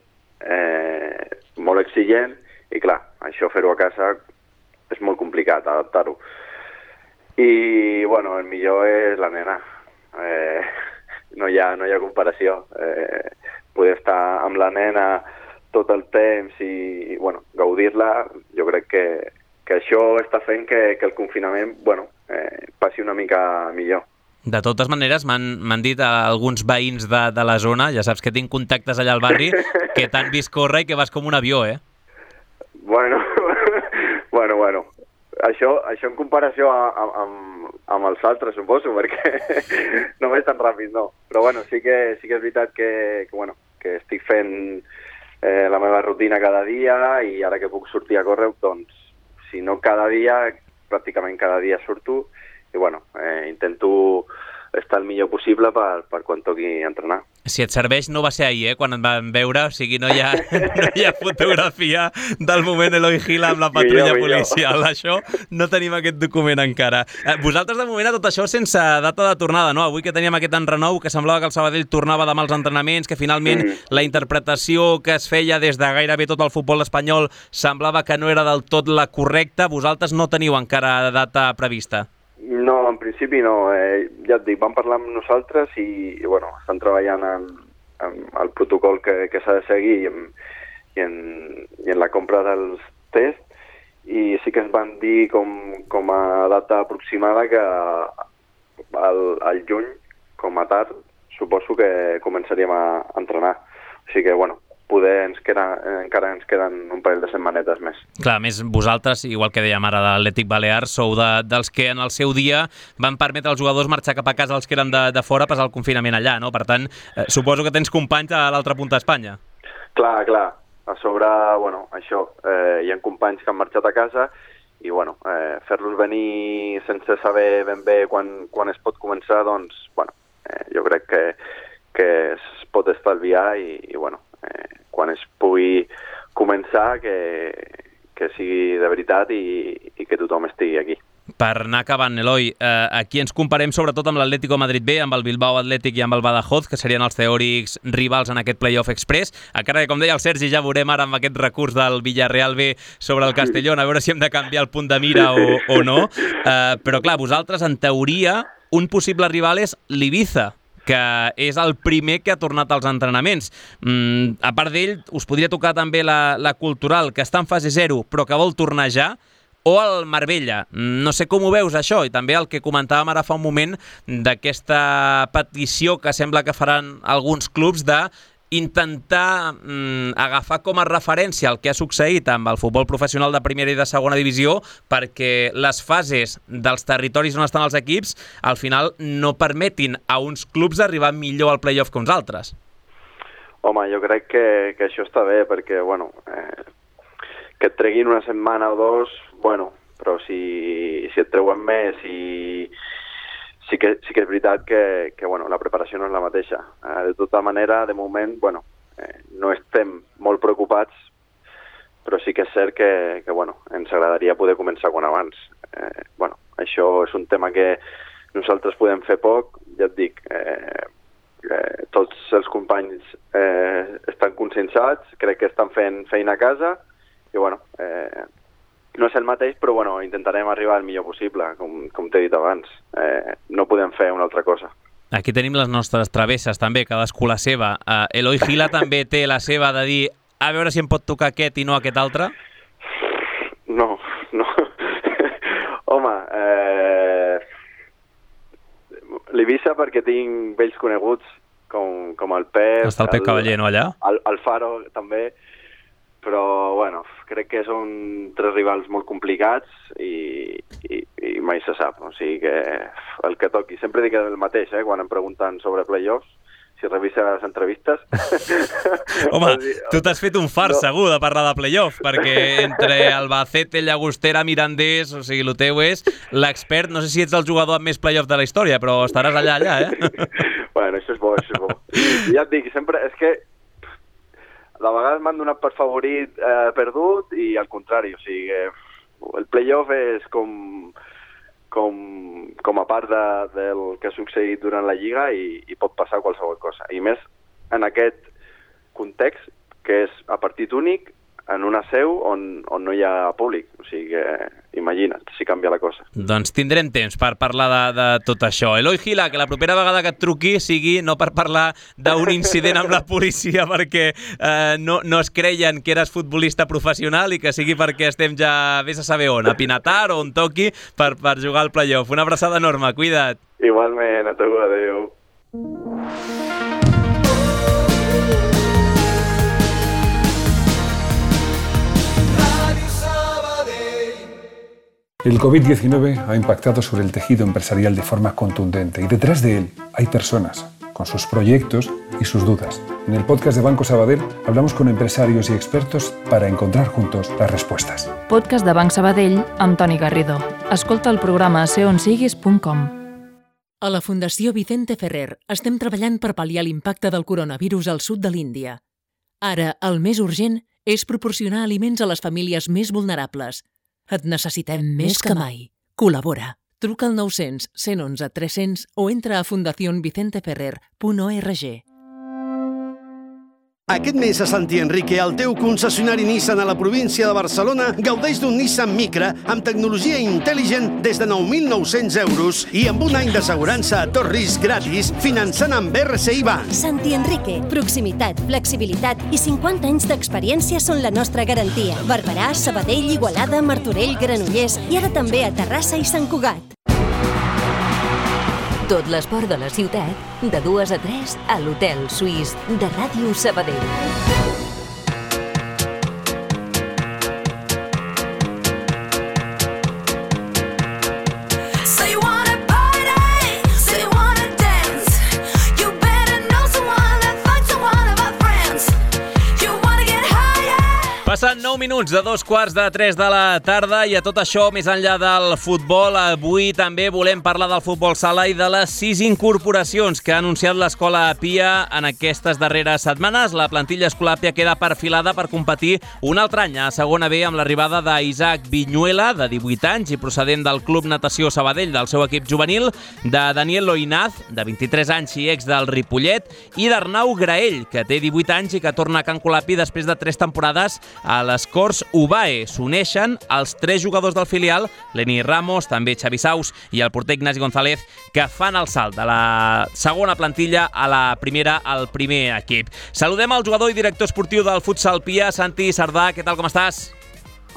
molt exigent i clar, això fer-ho a casa és molt complicat, adaptar-ho. I, bueno, el millor és la nena. No hi ha comparació. Poder estar amb la nena tot el temps i bueno, gaudir-la, jo crec que això està fent que el confinament passi una mica millor. De totes maneres, m'han dit alguns veïns de la zona, ja saps que tinc contactes allà al barri, que t'han vist córrer i que vas com un avió, Bueno. Això en comparació amb els altres, suposo, perquè no és tan ràpid, no. Però bueno, sí que és veritat que estic fent la meva rutina cada dia i ara que puc sortir a córrer, doncs, si no cada dia, pràcticament cada dia surto i bueno, intento estar el millor possible per quan toqui entrenar. Si et serveix, no va ser ahir, quan et van veure, o sigui, no hi ha fotografia del moment Eloi Gila amb la patrulla policial. Això no tenim aquest document encara. Vosaltres, de moment, a tot això sense data de tornada, no? Avui que teníem aquest enrenou, que semblava que el Sabadell tornava demà als entrenaments, que finalment la interpretació que es feia des de gairebé tot el futbol espanyol semblava que no era del tot la correcta. Vosaltres no teniu encara data prevista? No, en principi no. Ja et dic, vam parlar amb nosaltres i bueno, estan treballant en el protocol que s'ha de seguir i en la compra dels tests i sí que ens van dir com a data aproximada que al juny, com a tard, suposo que començaríem a entrenar. O sigui que, bueno, poder encara ens queden un parell de setmanetes més. Clar, a més vosaltres, igual que dèiem ara de l'Atlètic Balear, sou dels que en el seu dia van permetre als jugadors marxar cap a casa els que eren de fora, passar el confinament allà, no? Per tant, suposo que tens companys a l'altra punta d'Espanya. Clar. A sobre, bueno, això, hi ha companys que han marxat a casa i, bueno, fer-los venir sense saber ben bé quan es pot començar, doncs, bueno, jo crec que es pot estalviar i bueno, quan es pugui començar que sigui de veritat i que tothom estigui aquí. Per anar acabant, Eloi, aquí ens comparem sobretot amb l'Atlético Madrid B, amb el Bilbao Athletic i amb el Badajoz, que serien els teòrics rivals en aquest playoff express. Encara que, com deia el Sergi, ja veurem ara amb aquest recurs del Villarreal B sobre el Castellón, a veure si hem de canviar el punt de mira o no. Però clar, vosaltres, en teoria, un possible rival és l'Ibiza, que és el primer que ha tornat als entrenaments. A part d'ell, us podria tocar també la Cultural, que està en fase 0, però que vol tornar ja, o el Marbella. No sé com ho veus, això, i també el que comentàvem ara fa un moment d'aquesta petició que sembla que faran alguns clubs d'intentar agafar com a referència el que ha succeït amb el futbol professional de primera i de segona divisió, perquè les fases dels territoris on estan els equips al final no permetin a uns clubs arribar millor al playoff que uns altres. Home, jo crec que això està bé, perquè, bueno, que et treguin una setmana o dos, bueno, però si et treuen més i sí que és veritat que bueno, la preparació no és la mateixa. De tota manera, de moment, bueno, no estem molt preocupats, però sí que és cert que bueno, ens agradaria poder començar quan abans. Bueno, això és un tema que nosaltres podem fer poc, ja et dic, tots els companys estan conscienciats, crec que estan fent feina a casa, i bueno, no és el mateix, però bueno, intentarem arribar al millor possible, com t'he dit abans. No podem fer una altra cosa. Aquí tenim les nostres travesses també, cadascú la seva. Eloi Gila també té la seva de dir a veure si em pot tocar aquest i no aquest altre? No. Home, l'Ibiza perquè tinc vells coneguts, com el Pep... Està el Pep Cavaller, no, allà? El Faro, també. Però, bueno, crec que són tres rivals molt complicats i mai se sap. O sigui que el que toqui. Sempre dic el mateix, quan em pregunten sobre playoffs, si revisa les entrevistes. Home, tu t'has fet un fart, segur, de parlar de playoff, perquè entre Albacete, Llagostera, Mirandés, o sigui, el teu és l'expert. No sé si ets el jugador amb més playoff de la història, però estaràs allà, Bueno, això és bo, Ja et dic, sempre, és que de vegades m'han donat per favorit perdut i al contrari, o sigui que el playoff és com a part del que ha succeït durant la Lliga i pot passar qualsevol cosa. I més en aquest context que és a partit únic en una seu on no hi ha públic. O sigui que imagina't si canvia la cosa. Doncs tindrem temps per parlar de tot això. Eloi Gila, que la propera vegada que et truqui sigui no per parlar d'un incident amb la policia perquè no es creien que eres futbolista professional i que sigui perquè estem ja vés a saber on, a Pinatar o on toqui per jugar al playoff. Una abraçada enorme, cuida't. Igualment, a tu, adéu. El COVID-19 ha impactado sobre el tejido empresarial de forma contundente y detrás de él hay personas, con sus proyectos y sus dudas. En el podcast de Banco Sabadell hablamos con empresarios y expertos para encontrar juntos las respuestas. Podcast de Banc Sabadell amb Toni Garrido. Escolta el programa a seonsiguis.com. A la Fundació Vicente Ferrer estem treballant per pal·liar l'impacte del coronavirus al sud de l'Índia. Ara, el més urgent és proporcionar aliments a les famílies més vulnerables. Et necessitem més que mai. Col·labora. Truca al 900 111 300 o entra a fundacionvicenteferrer.org. Aquest mes a Santi Enrique, el teu concessionari Nissan a la província de Barcelona gaudeix d'un Nissan Micra amb tecnologia intel·ligent des de 9.900 euros i amb un any d'assegurança a tot risc gratis finançant amb RCI Bank. Santi Enrique, proximitat, flexibilitat i 50 anys d'experiència són la nostra garantia. Barberà, Sabadell, Igualada, Martorell, Granollers i ara també a Terrassa i Sant Cugat. Tot l'esport de la ciutat, de 2 a 3 a l'Hotel Suís de Ràdio Sabadell. Passen Passen 9 minuts de 2:45 de la tarda i a tot això, més enllà del futbol, avui també volem parlar del futbol sala i de les 6 incorporacions que ha anunciat l'Escola Pia en aquestes darreres setmanes. La plantilla Escola Pia queda perfilada per competir un altre any a segona B amb l'arribada d'Isaac Viñuela, de 18 anys i procedent del Club Natació Sabadell, del seu equip juvenil, de Daniel Loinaz, de 23 anys i ex del Ripollet, i d'Arnau Graell, que té 18 anys i que torna a Can Colapi després de 3 temporades a les Corts UBAE. S'uneixen els 3 jugadors del filial, Leni Ramos, també Xavi Saus i el porter Ignasi González, que fan el salt de la segona plantilla a la primera, al primer equip. Saludem al jugador i director esportiu del futsal Pia, Santi Sardà. Què tal, com estàs?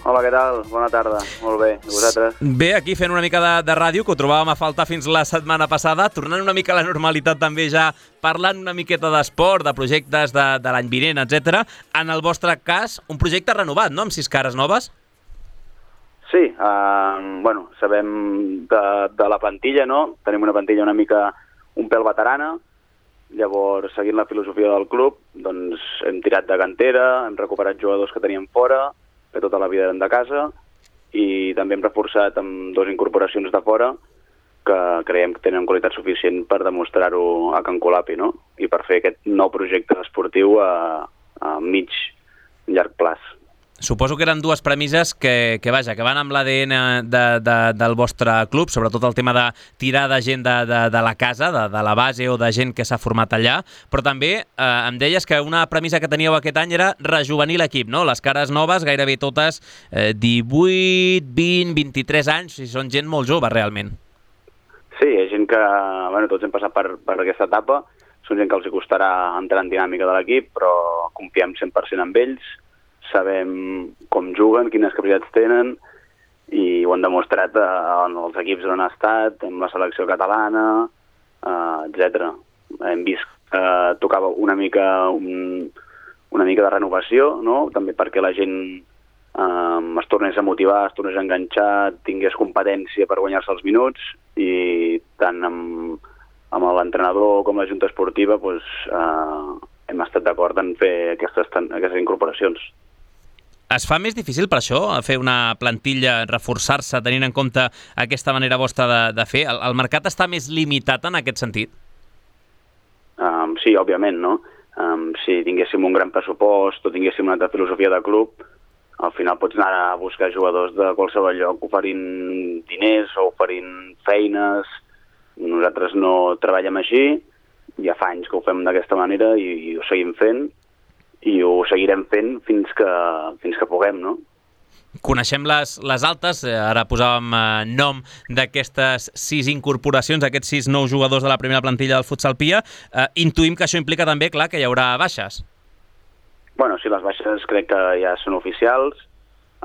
Hola, què tal? Bona tarda. Molt bé. I vosaltres? Bé, aquí fent una mica de ràdio, que ho trobàvem a faltar fins la setmana passada, tornant una mica a la normalitat també ja, parlant una miqueta d'esport, de projectes de l'any vinent, etc. En el vostre cas, un projecte renovat, no?, amb 6 cares noves? Sí, bueno, sabem de la plantilla, no? Tenim una plantilla una mica un pèl veterana, llavors, seguint la filosofia del club, doncs hem tirat de cantera, hem recuperat jugadors que teníem fora, que tota la vida eren de casa, i també hem reforçat amb 2 incorporacions de fora que creiem que tenen qualitat suficient per demostrar-ho a Can Colapi, no? I per fer aquest nou projecte esportiu a mig, llarg plaç. Suposo que eren 2 premisses que van amb l'ADN del vostre club, sobretot el tema de tirar de gent de la casa, de la base o de gent que s'ha format allà, però també em deies que una premissa que teníeu aquest any era rejuvenir l'equip, no? Les cares noves, gairebé totes 18, 20, 23 anys, i són gent molt jove, realment. Sí, hi ha gent que, bueno, tots hem passat per aquesta etapa, són gent que els costarà entrar en dinàmica de l'equip, però confiem 100% en ells, sabem com juguen, quines capacitats tenen, i ho han demostrat en els equips on han estat, en la selecció catalana, etc. Hem vist que tocava una mica de renovació, no? També perquè la gent es tornés a motivar, es tornés a enganxar, tingués competència per guanyar-se els minuts, i tant amb l'entrenador com la junta esportiva hem estat d'acord en fer aquestes incorporacions. Es fa més difícil per això, fer una plantilla, reforçar-se, tenint en compte aquesta manera vostra de fer? El mercat està més limitat en aquest sentit? Sí, òbviament, no? Si tinguéssim un gran pressupost o tinguéssim una altra filosofia de club, al final pots anar a buscar jugadors de qualsevol lloc oferint diners o oferint feines. Nosaltres no treballem així, ja fa anys que ho fem d'aquesta manera i ho seguim fent, i ho seguirem fent fins que puguem, no? Coneixem les altes, ara posàvem nom d'aquestes 6 incorporacions, aquests 6 nous jugadors de la primera plantilla del futsal Pia. Intuïm que això implica també, clar, que hi haurà baixes. Bueno, sí, les baixes crec que ja són oficials.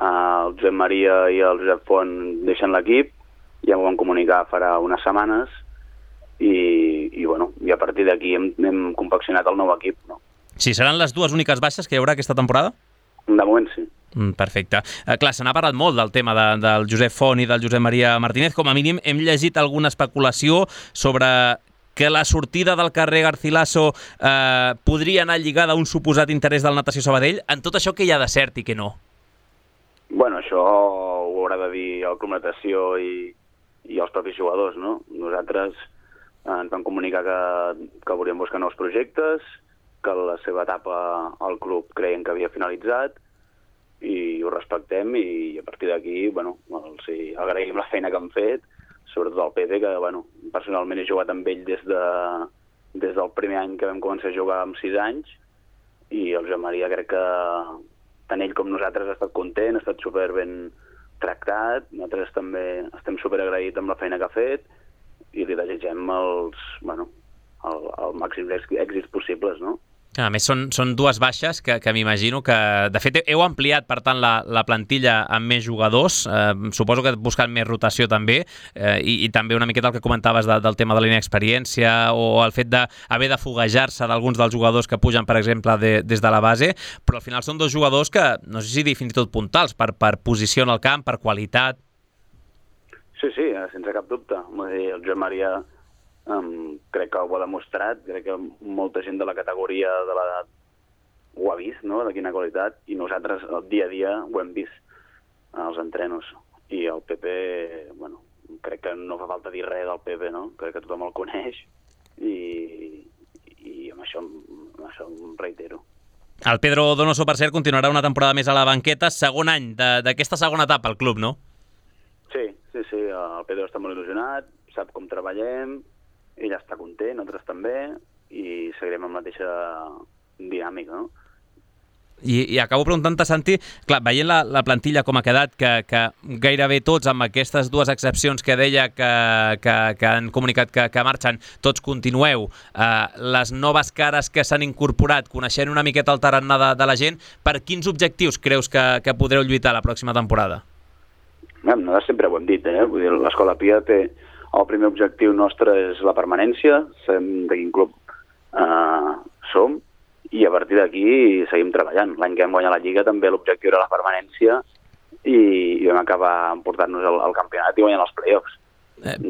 El Josep Maria i el Josep Font deixen l'equip, ja m'ho van comunicar farà unes setmanes, i a partir d'aquí hem confeccionat el nou equip, no? Sí, seran les 2 úniques baixes que hi haurà aquesta temporada? De moment sí. Perfecte. Clar, se n'ha parlat molt del tema del Josep Font i del Josep Maria Martínez. Com a mínim hem llegit alguna especulació sobre que la sortida del carrer Garcilaso podria anar lligada a un suposat interès del Natació Sabadell. En tot això, què hi ha de cert i què no? Bueno, això ho haurà de dir el Club Natació i els propis jugadors, no? Nosaltres ens vam comunicar que volíem buscar nous projectes, que la seva etapa al club creien que havia finalitzat, i ho respectem, i a partir d'aquí, bueno, els agraïm la feina que han fet, sobretot al Pepe, que, bueno, personalment he jugat amb ell des del primer any que vam començar a jugar amb 6 anys, i el Joan Maria crec que tant ell com nosaltres ha estat content, ha estat super ben tractat, nosaltres també estem super agraïts amb la feina que ha fet, i li desitgem el màxim èxits possibles, no? A més, són 2 baixes que m'imagino que... De fet, heu ampliat, per tant, la plantilla amb més jugadors. Suposo que buscant més rotació també, i també una miqueta el que comentaves del tema de la inexperiència o el fet d'haver de foguejar-se d'alguns dels jugadors que pugen, per exemple, des de la base, però al final són 2 jugadors que, no sé si dir fins i tot puntals, per posició en el camp, per qualitat. Sí, sense cap dubte. El Joan Maria crec que ho ha demostrat, crec que molta gent de la categoria ho ha vist, no?, de quina qualitat, i nosaltres el dia a dia ho hem vist als entrenos. I el Pepe, bueno, crec que no fa falta dir res del Pepe, no? Crec que tothom el coneix i amb això em reitero. El Pedro Donoso, per cert, continuarà una temporada més a la banqueta, segon any d'aquesta segona etapa al club, no? Sí, el Pedro està molt il·lusionat, sap com treballem, ell està content, nosaltres també, i seguirem amb la mateixa dinàmica, no? I acabo preguntant-te, Santi, clar, veient la plantilla com ha quedat, que gairebé tots, amb aquestes dues excepcions que deia que han comunicat que marxen, tots continueu, les noves cares que s'han incorporat, coneixent una miqueta el tarannà de la gent, per quins objectius creus que podreu lluitar la pròxima temporada? Nosaltres sempre ho hem dit, vull dir, l'Escola Pia té... El primer objectiu nostre és la permanència, sabem de quin club som, i a partir d'aquí seguim treballant. L'any que vam guanyar la Lliga també l'objectiu era la permanència i vam acabar emportant-nos al campionat i guanyant els play-offs.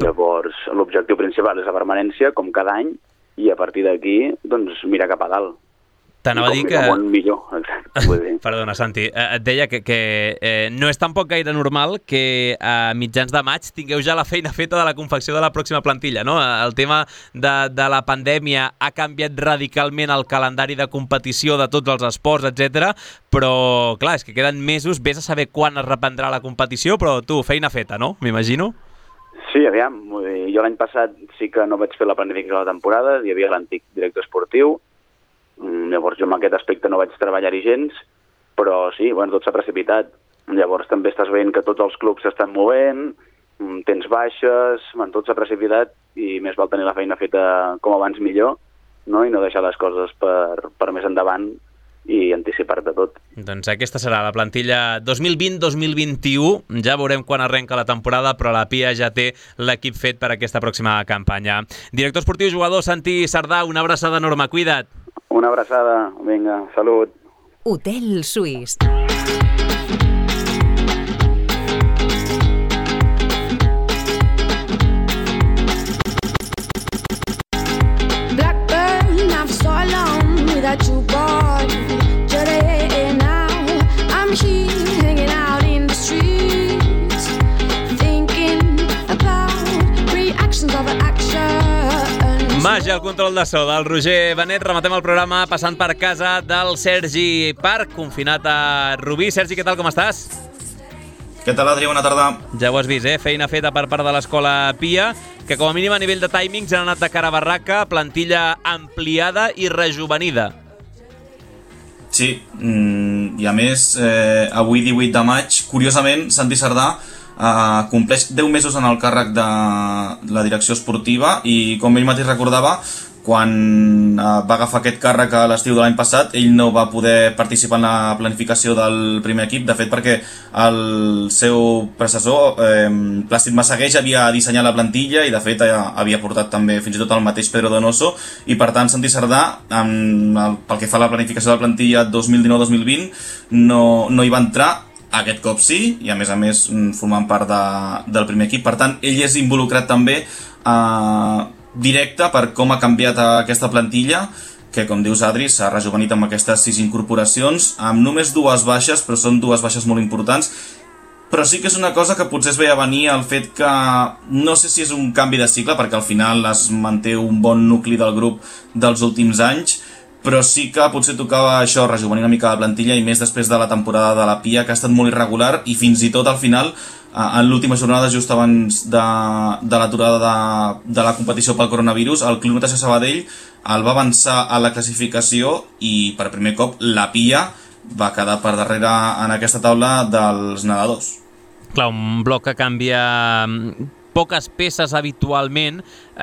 Llavors, l'objectiu principal és la permanència, com cada any, i a partir d'aquí, doncs, mirar cap a dalt. T'anava a dir que... Com un millor, exacte. Perdona, Santi, et deia que no és tampoc gaire normal que a mitjans de maig tingueu ja la feina feta de la confecció de la pròxima plantilla, no? El tema de la pandèmia ha canviat radicalment el calendari de competició de tots els esports, etc. Però, clar, és que queden mesos, vés a saber quan es reprendrà la competició, però tu, feina feta, no? M'imagino? Sí, aviam. Jo l'any passat sí que no vaig fer la planificació de la temporada, hi havia l'antic director esportiu, llavors jo en aquest aspecte no vaig treballar-hi gens, però sí, bueno, tot s'ha precipitat. Llavors també estàs veient que tots els clubs s'estan movent, tens baixes, tot s'ha precipitat i més val tenir la feina feta com abans millor, no? I no deixar les coses per més endavant i anticipar-te tot. Doncs aquesta serà la plantilla 2020-2021. Ja veurem quan arrenca la temporada, però la Pia ja té l'equip fet per aquesta pròxima campanya. Director esportiu, jugador Santi Sardà, una abraçada enorme, cuida't. Una abraçada, vinga, salut. Hotel Suís. Blackburn, I've so long without you, boy. Today now, I'm here hanging out in the streets, thinking about reactions of action. Màgia, el control de so del Roger Benet. Rematem el programa passant per casa del Sergi Parc, confinat a Rubí. Sergi, què tal, com estàs? Què tal, Adri? Bona tarda. Ja ho has vist, feina feta per part de l'Escola Pia, que com a mínim a nivell de timings han anat de cara a barraca, plantilla ampliada i rejuvenida. Sí, i a més, avui 18 de maig, curiosament, Santi Sardà compleix 10 mesos en el càrrec de la direcció esportiva i, com ell mateix recordava, quan va agafar aquest càrrec a l'estiu de l'any passat, ell no va poder participar en la planificació del primer equip, de fet perquè el seu predecessor, Plàcid Massagueix, havia dissenyat la plantilla i de fet havia portat també fins i tot el mateix Pedro Donoso, i per tant Santi Sardà, pel que fa a la planificació de la plantilla 2019-2020, no hi va entrar. Aquest cop sí, i a més formant part del primer equip. Per tant, ell és involucrat també directe per com ha canviat aquesta plantilla, que, com dius, Adri, s'ha rejuvenit amb aquestes 6 incorporacions, amb només 2 baixes, però són 2 baixes molt importants. Però sí que és una cosa que potser es veia venir el fet que no sé si és un canvi de cicle, perquè al final es manté un bon nucli del grup dels últims anys, però sí que potser tocava això, rejuvenir una mica la plantilla, i més després de la temporada de la Pia, que ha estat molt irregular, i fins i tot al final, en l'última jornada, just abans de l'aturada de la competició pel coronavirus, el Club Natació Sabadell el va avançar a la classificació i per primer cop la Pia va quedar per darrere en aquesta taula dels nedadors. Clar, un bloc que canvia poques peces habitualment.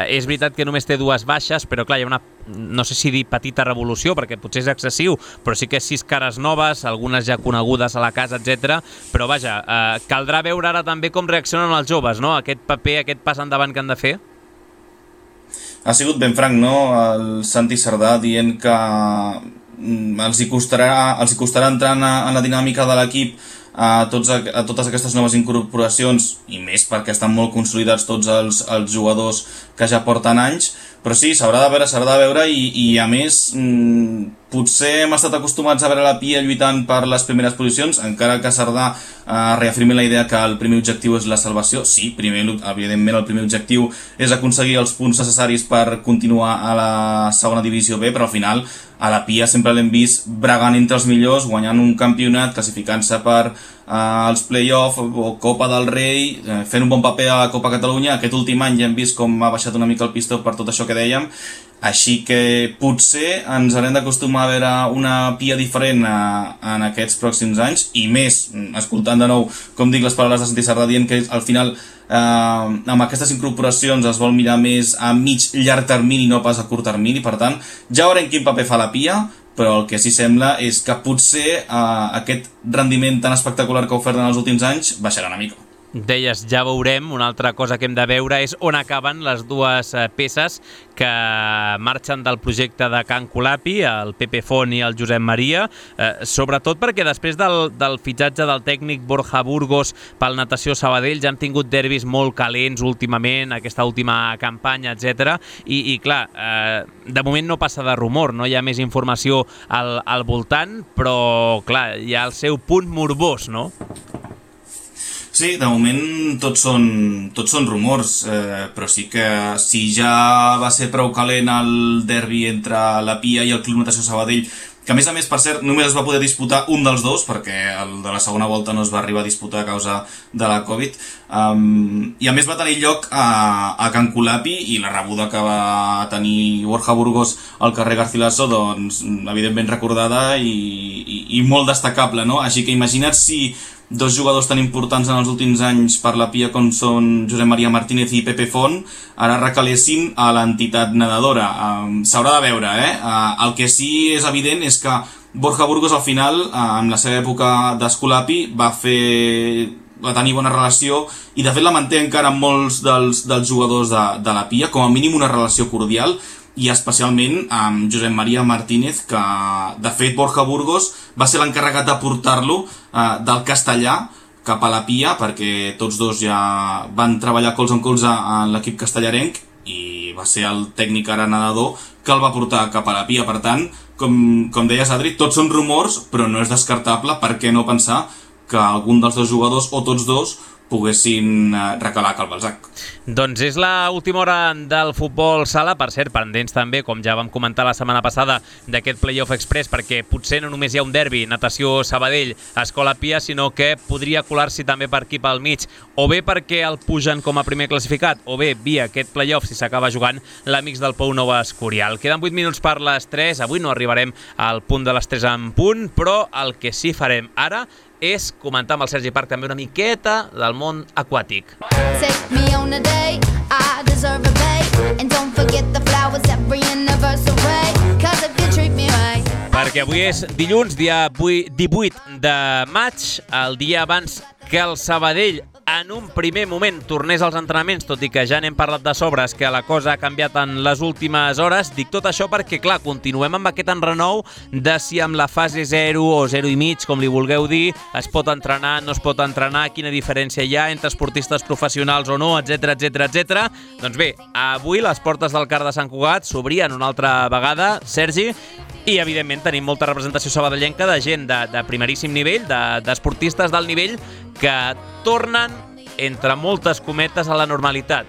És veritat que només té 2 baixes, però clar, hi ha una, no sé si dir petita revolució, perquè potser és excessiu, però sí que 6 cares noves, algunes ja conegudes a la casa, etc. Però vaja, caldrà veure ara també com reaccionen els joves, no? Aquest paper, aquest pas endavant que han de fer. Ha sigut ben franc, no?, el Santi Sardà dient que els hi costarà entrar en la dinàmica de l'equip a totes aquestes noves incorporacions, i més perquè estan molt consolidats tots els jugadors que ja porten anys, però sí, s'haurà de veure i a més potser hem estat acostumats a veure la Pia lluitant per les primeres posicions, encara que Cerdà reafirmi la idea que el primer objectiu és la salvació. Sí, evidentment el primer objectiu és aconseguir els punts necessaris per continuar a la segona divisió B, però al final a la Pia sempre l'hem vist bregant entre els millors, guanyant un campionat, classificant-se per els play-off o Copa del Rei, fent un bon paper a la Copa Catalunya. Aquest últim any ja hem vist com ha baixat una mica el pistó per tot això que dèiem, així que potser ens haurem d'acostumar a veure una Pia diferent en aquests pròxims anys, i més, escoltant de nou, com dic, les paraules de Santi Sardà dient que al final amb aquestes incorporacions es vol mirar més a mig-llarg termini, no pas a curt termini. Per tant, ja veurem quin paper fa la Pia, però el que sí sembla és que potser aquest rendiment tan espectacular que ha ofert en els últims anys baixarà una mica. Deies, ja veurem. Una altra cosa que hem de veure és on acaben les dues peces que marxen del projecte de Can Colapi, el Pepe Font i el Josep Maria, sobretot perquè després del fitxatge del tècnic Borja Burgos pel Natació Sabadell ja hem tingut derbis molt calents últimament, aquesta última campanya, etc. I clar, de moment no passa de rumor, no hi ha més informació al voltant, però clar, hi ha el seu punt morbós, no? Sí, de moment tots són rumors, però sí que si ja va ser prou calent el derbi entre la Pia i el Club Natació Sabadell, que a més, per cert, només es va poder disputar un dels dos, perquè el de la segona volta no es va arribar a disputar a causa de la Covid, i a més va tenir lloc a Can Colapi, i la rebuda que va tenir Borja Burgos al carrer Garcilaso, doncs, evidentment recordada i molt destacable, no? Així que imagina't si dos jugadors tan importants en els últims anys per la Pia com són Josep Maria Martínez i Pepe Font ara recalessin a l'entitat nedadora. S'haurà de veure, El que sí és evident és que Borja Burgos al final, en la seva època d'Escolapi, va tenir bona relació i de fet la manté encara amb molts dels jugadors de la Pia, com a mínim una relació cordial, i especialment amb Josep Maria Martínez, que de fet Borja Burgos va ser l'encarregat de portar-lo del castellà cap a la Pia, perquè tots dos ja van treballar colze en colze en l'equip castellarenc i va ser el tècnic ara nedador que el va portar cap a la Pia. Per tant, com deies, Adri, tots són rumors, però no és descartable, per què no pensar que algun dels dos jugadors o tots dos poguessin recalar a Cal Balzac. Doncs és l'última hora del futbol sala, per cert, pendents també, com ja vam comentar la setmana passada, d'aquest Playoff Express, perquè potser no només hi ha un derbi, Natació Sabadell, Escola Pia, sinó que podria colar-s'hi també per aquí pel mig, o bé perquè el pugen com a primer classificat, o bé via aquest Playoff si s'acaba jugant l'Amics del Pou Nova Escorial. Queden 8 minuts per les 3, avui no arribarem al punt de les 3 en punt, però el que sí farem ara és comentar amb el Sergi Parc també una miqueta del món aquàtic. Take me on a date, I deserve a bait, and don't forget the flowers every anniversary, cause if you treat me right. Perquè avui és dilluns, dia 18 de maig, el dia abans que el Sabadell en un primer moment tornés als entrenaments, tot i que ja n'hem parlat de sobres, que la cosa ha canviat en les últimes hores. Dic tot això perquè, clar, continuem amb aquest enrenou de si amb la fase 0 o 0,5, com li vulgueu dir, es pot entrenar, no es pot entrenar, quina diferència hi ha entre esportistes professionals o no, etc etc etc. Doncs bé, avui les portes del CAR de Sant Cugat s'obrien una altra vegada, Sergi, i evidentment tenim molta representació sabadellenca de gent de primeríssim nivell, d'esportistes d'alt nivell que tornen, entre moltes cometes, a la normalitat.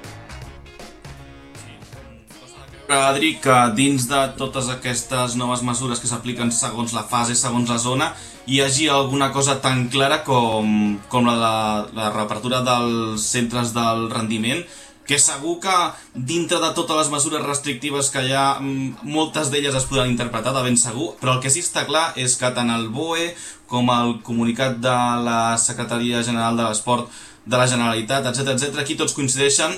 Adri, que dins de totes aquestes noves mesures que s'apliquen segons la fase, segons la zona, hi hagi alguna cosa tan clara com la reapertura dels centres del rendiment, que segur que dintre de totes les mesures restrictives que hi ha, moltes d'elles es podran interpretar de ben segur, però el que sí està clar és que tant el BOE com el comunicat de la Secretaria General de l'Esport de la Generalitat, etc, aquí tots coincideixen.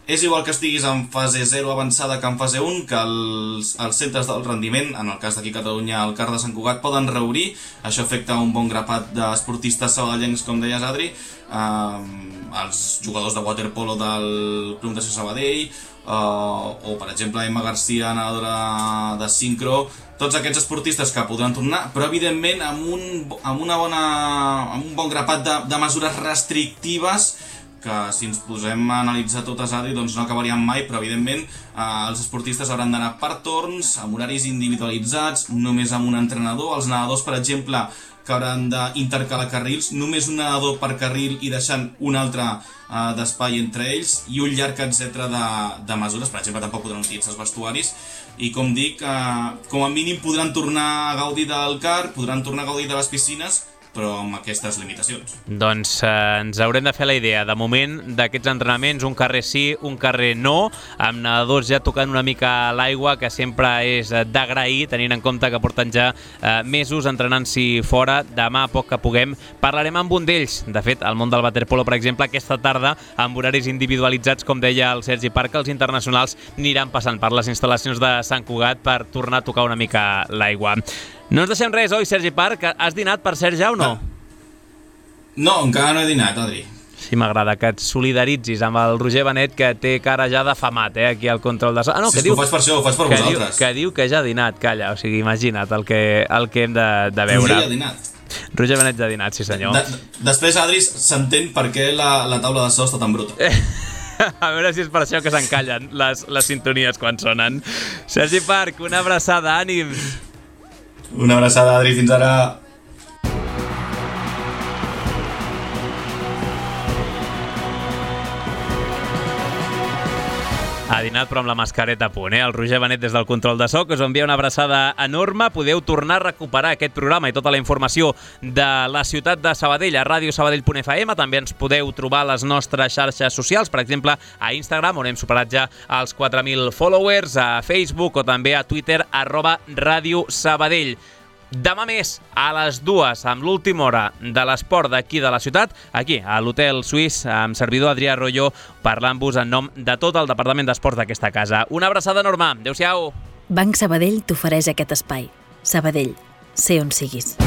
És igual que estiguis en fase 0 avançada que en fase 1, que els centres del rendiment, en el cas d'aquí a Catalunya, el CAR de Sant Cugat, poden reobrir. Això afecta un bon grapat d'esportistes sabadellencs, com deies, Adri, els jugadors de waterpolo del Club Natació Sabadell, o, per exemple, Emma Garcia, nedadora de sincro, tots aquests esportistes que podran tornar, però evidentment amb un bon grapat de mesures restrictives que si ens posem a analitzar totes, Adri, doncs no acabaríem mai, però evidentment els esportistes hauran d'anar per torns, amb horaris individualitzats, només amb un entrenador. Els nedadors, per exemple, que hauran d'intercalar carrils, només un nedador per carril i deixant un altre d'espai entre ells, i un llarg etcètera de mesures. Per exemple, tampoc podran utilitzar els vestuaris, i com dic, com a mínim podran tornar a gaudir del car, podran tornar a gaudir de les piscines, però amb aquestes limitacions. Doncs ens haurem de fer la idea, de moment, d'aquests entrenaments, un carrer sí, un carrer no, amb nedadors ja tocant una mica l'aigua, que sempre és d'agrair, tenint en compte que porten ja mesos entrenant-s'hi fora. Demà, a poc que puguem, parlarem amb un d'ells. De fet, al món del waterpolo, per exemple, aquesta tarda, amb horaris individualitzats, com deia el Sergi Parc, els internacionals aniran passant per les instal·lacions de Sant Cugat per tornar a tocar una mica l'aigua. No ens deixem res, oi, Sergi Parc? Has dinat, per cert, ja o no? No, encara no he dinat, Adri. Sí, m'agrada que et solidaritzis amb el Roger Benet, que té cara ja d'afamat, aquí al control de... Ah, no, sí, que diu, ho faig per això, ho faig per vosaltres. Que diu que ja ha dinat, calla, o sigui, imagina't el que hem de veure. Roger ja ha dinat. Roger Benet ja ha dinat, sí senyor. Després, Adri, s'entén per què la taula de so està tan bruta. A veure si és per això que s'encallen les sintonies quan sonen. Sergi Parc, una abraçada, ànims. Una abraçada, Adri, fins ara. Ha dinat però amb la mascareta a punt, El Roger Benet des del control de so, que us envia una abraçada enorme. Podeu tornar a recuperar aquest programa i tota la informació de la ciutat de Sabadell a radiosabadell.fm. També ens podeu trobar a les nostres xarxes socials, per exemple, a Instagram, on hem superat ja els 4.000 followers, a Facebook o també a Twitter, @radiosabadell. Demà més, a les 2, amb l'última hora de l'esport d'aquí de la ciutat, aquí, a l'Hotel Suís, amb servidor Adrià Royo, parlant-vos en nom de tot el Departament d'Esports d'aquesta casa. Una abraçada enorme. Adéu-siau. Banc Sabadell t'ofereix aquest espai. Sabadell, sé on siguis.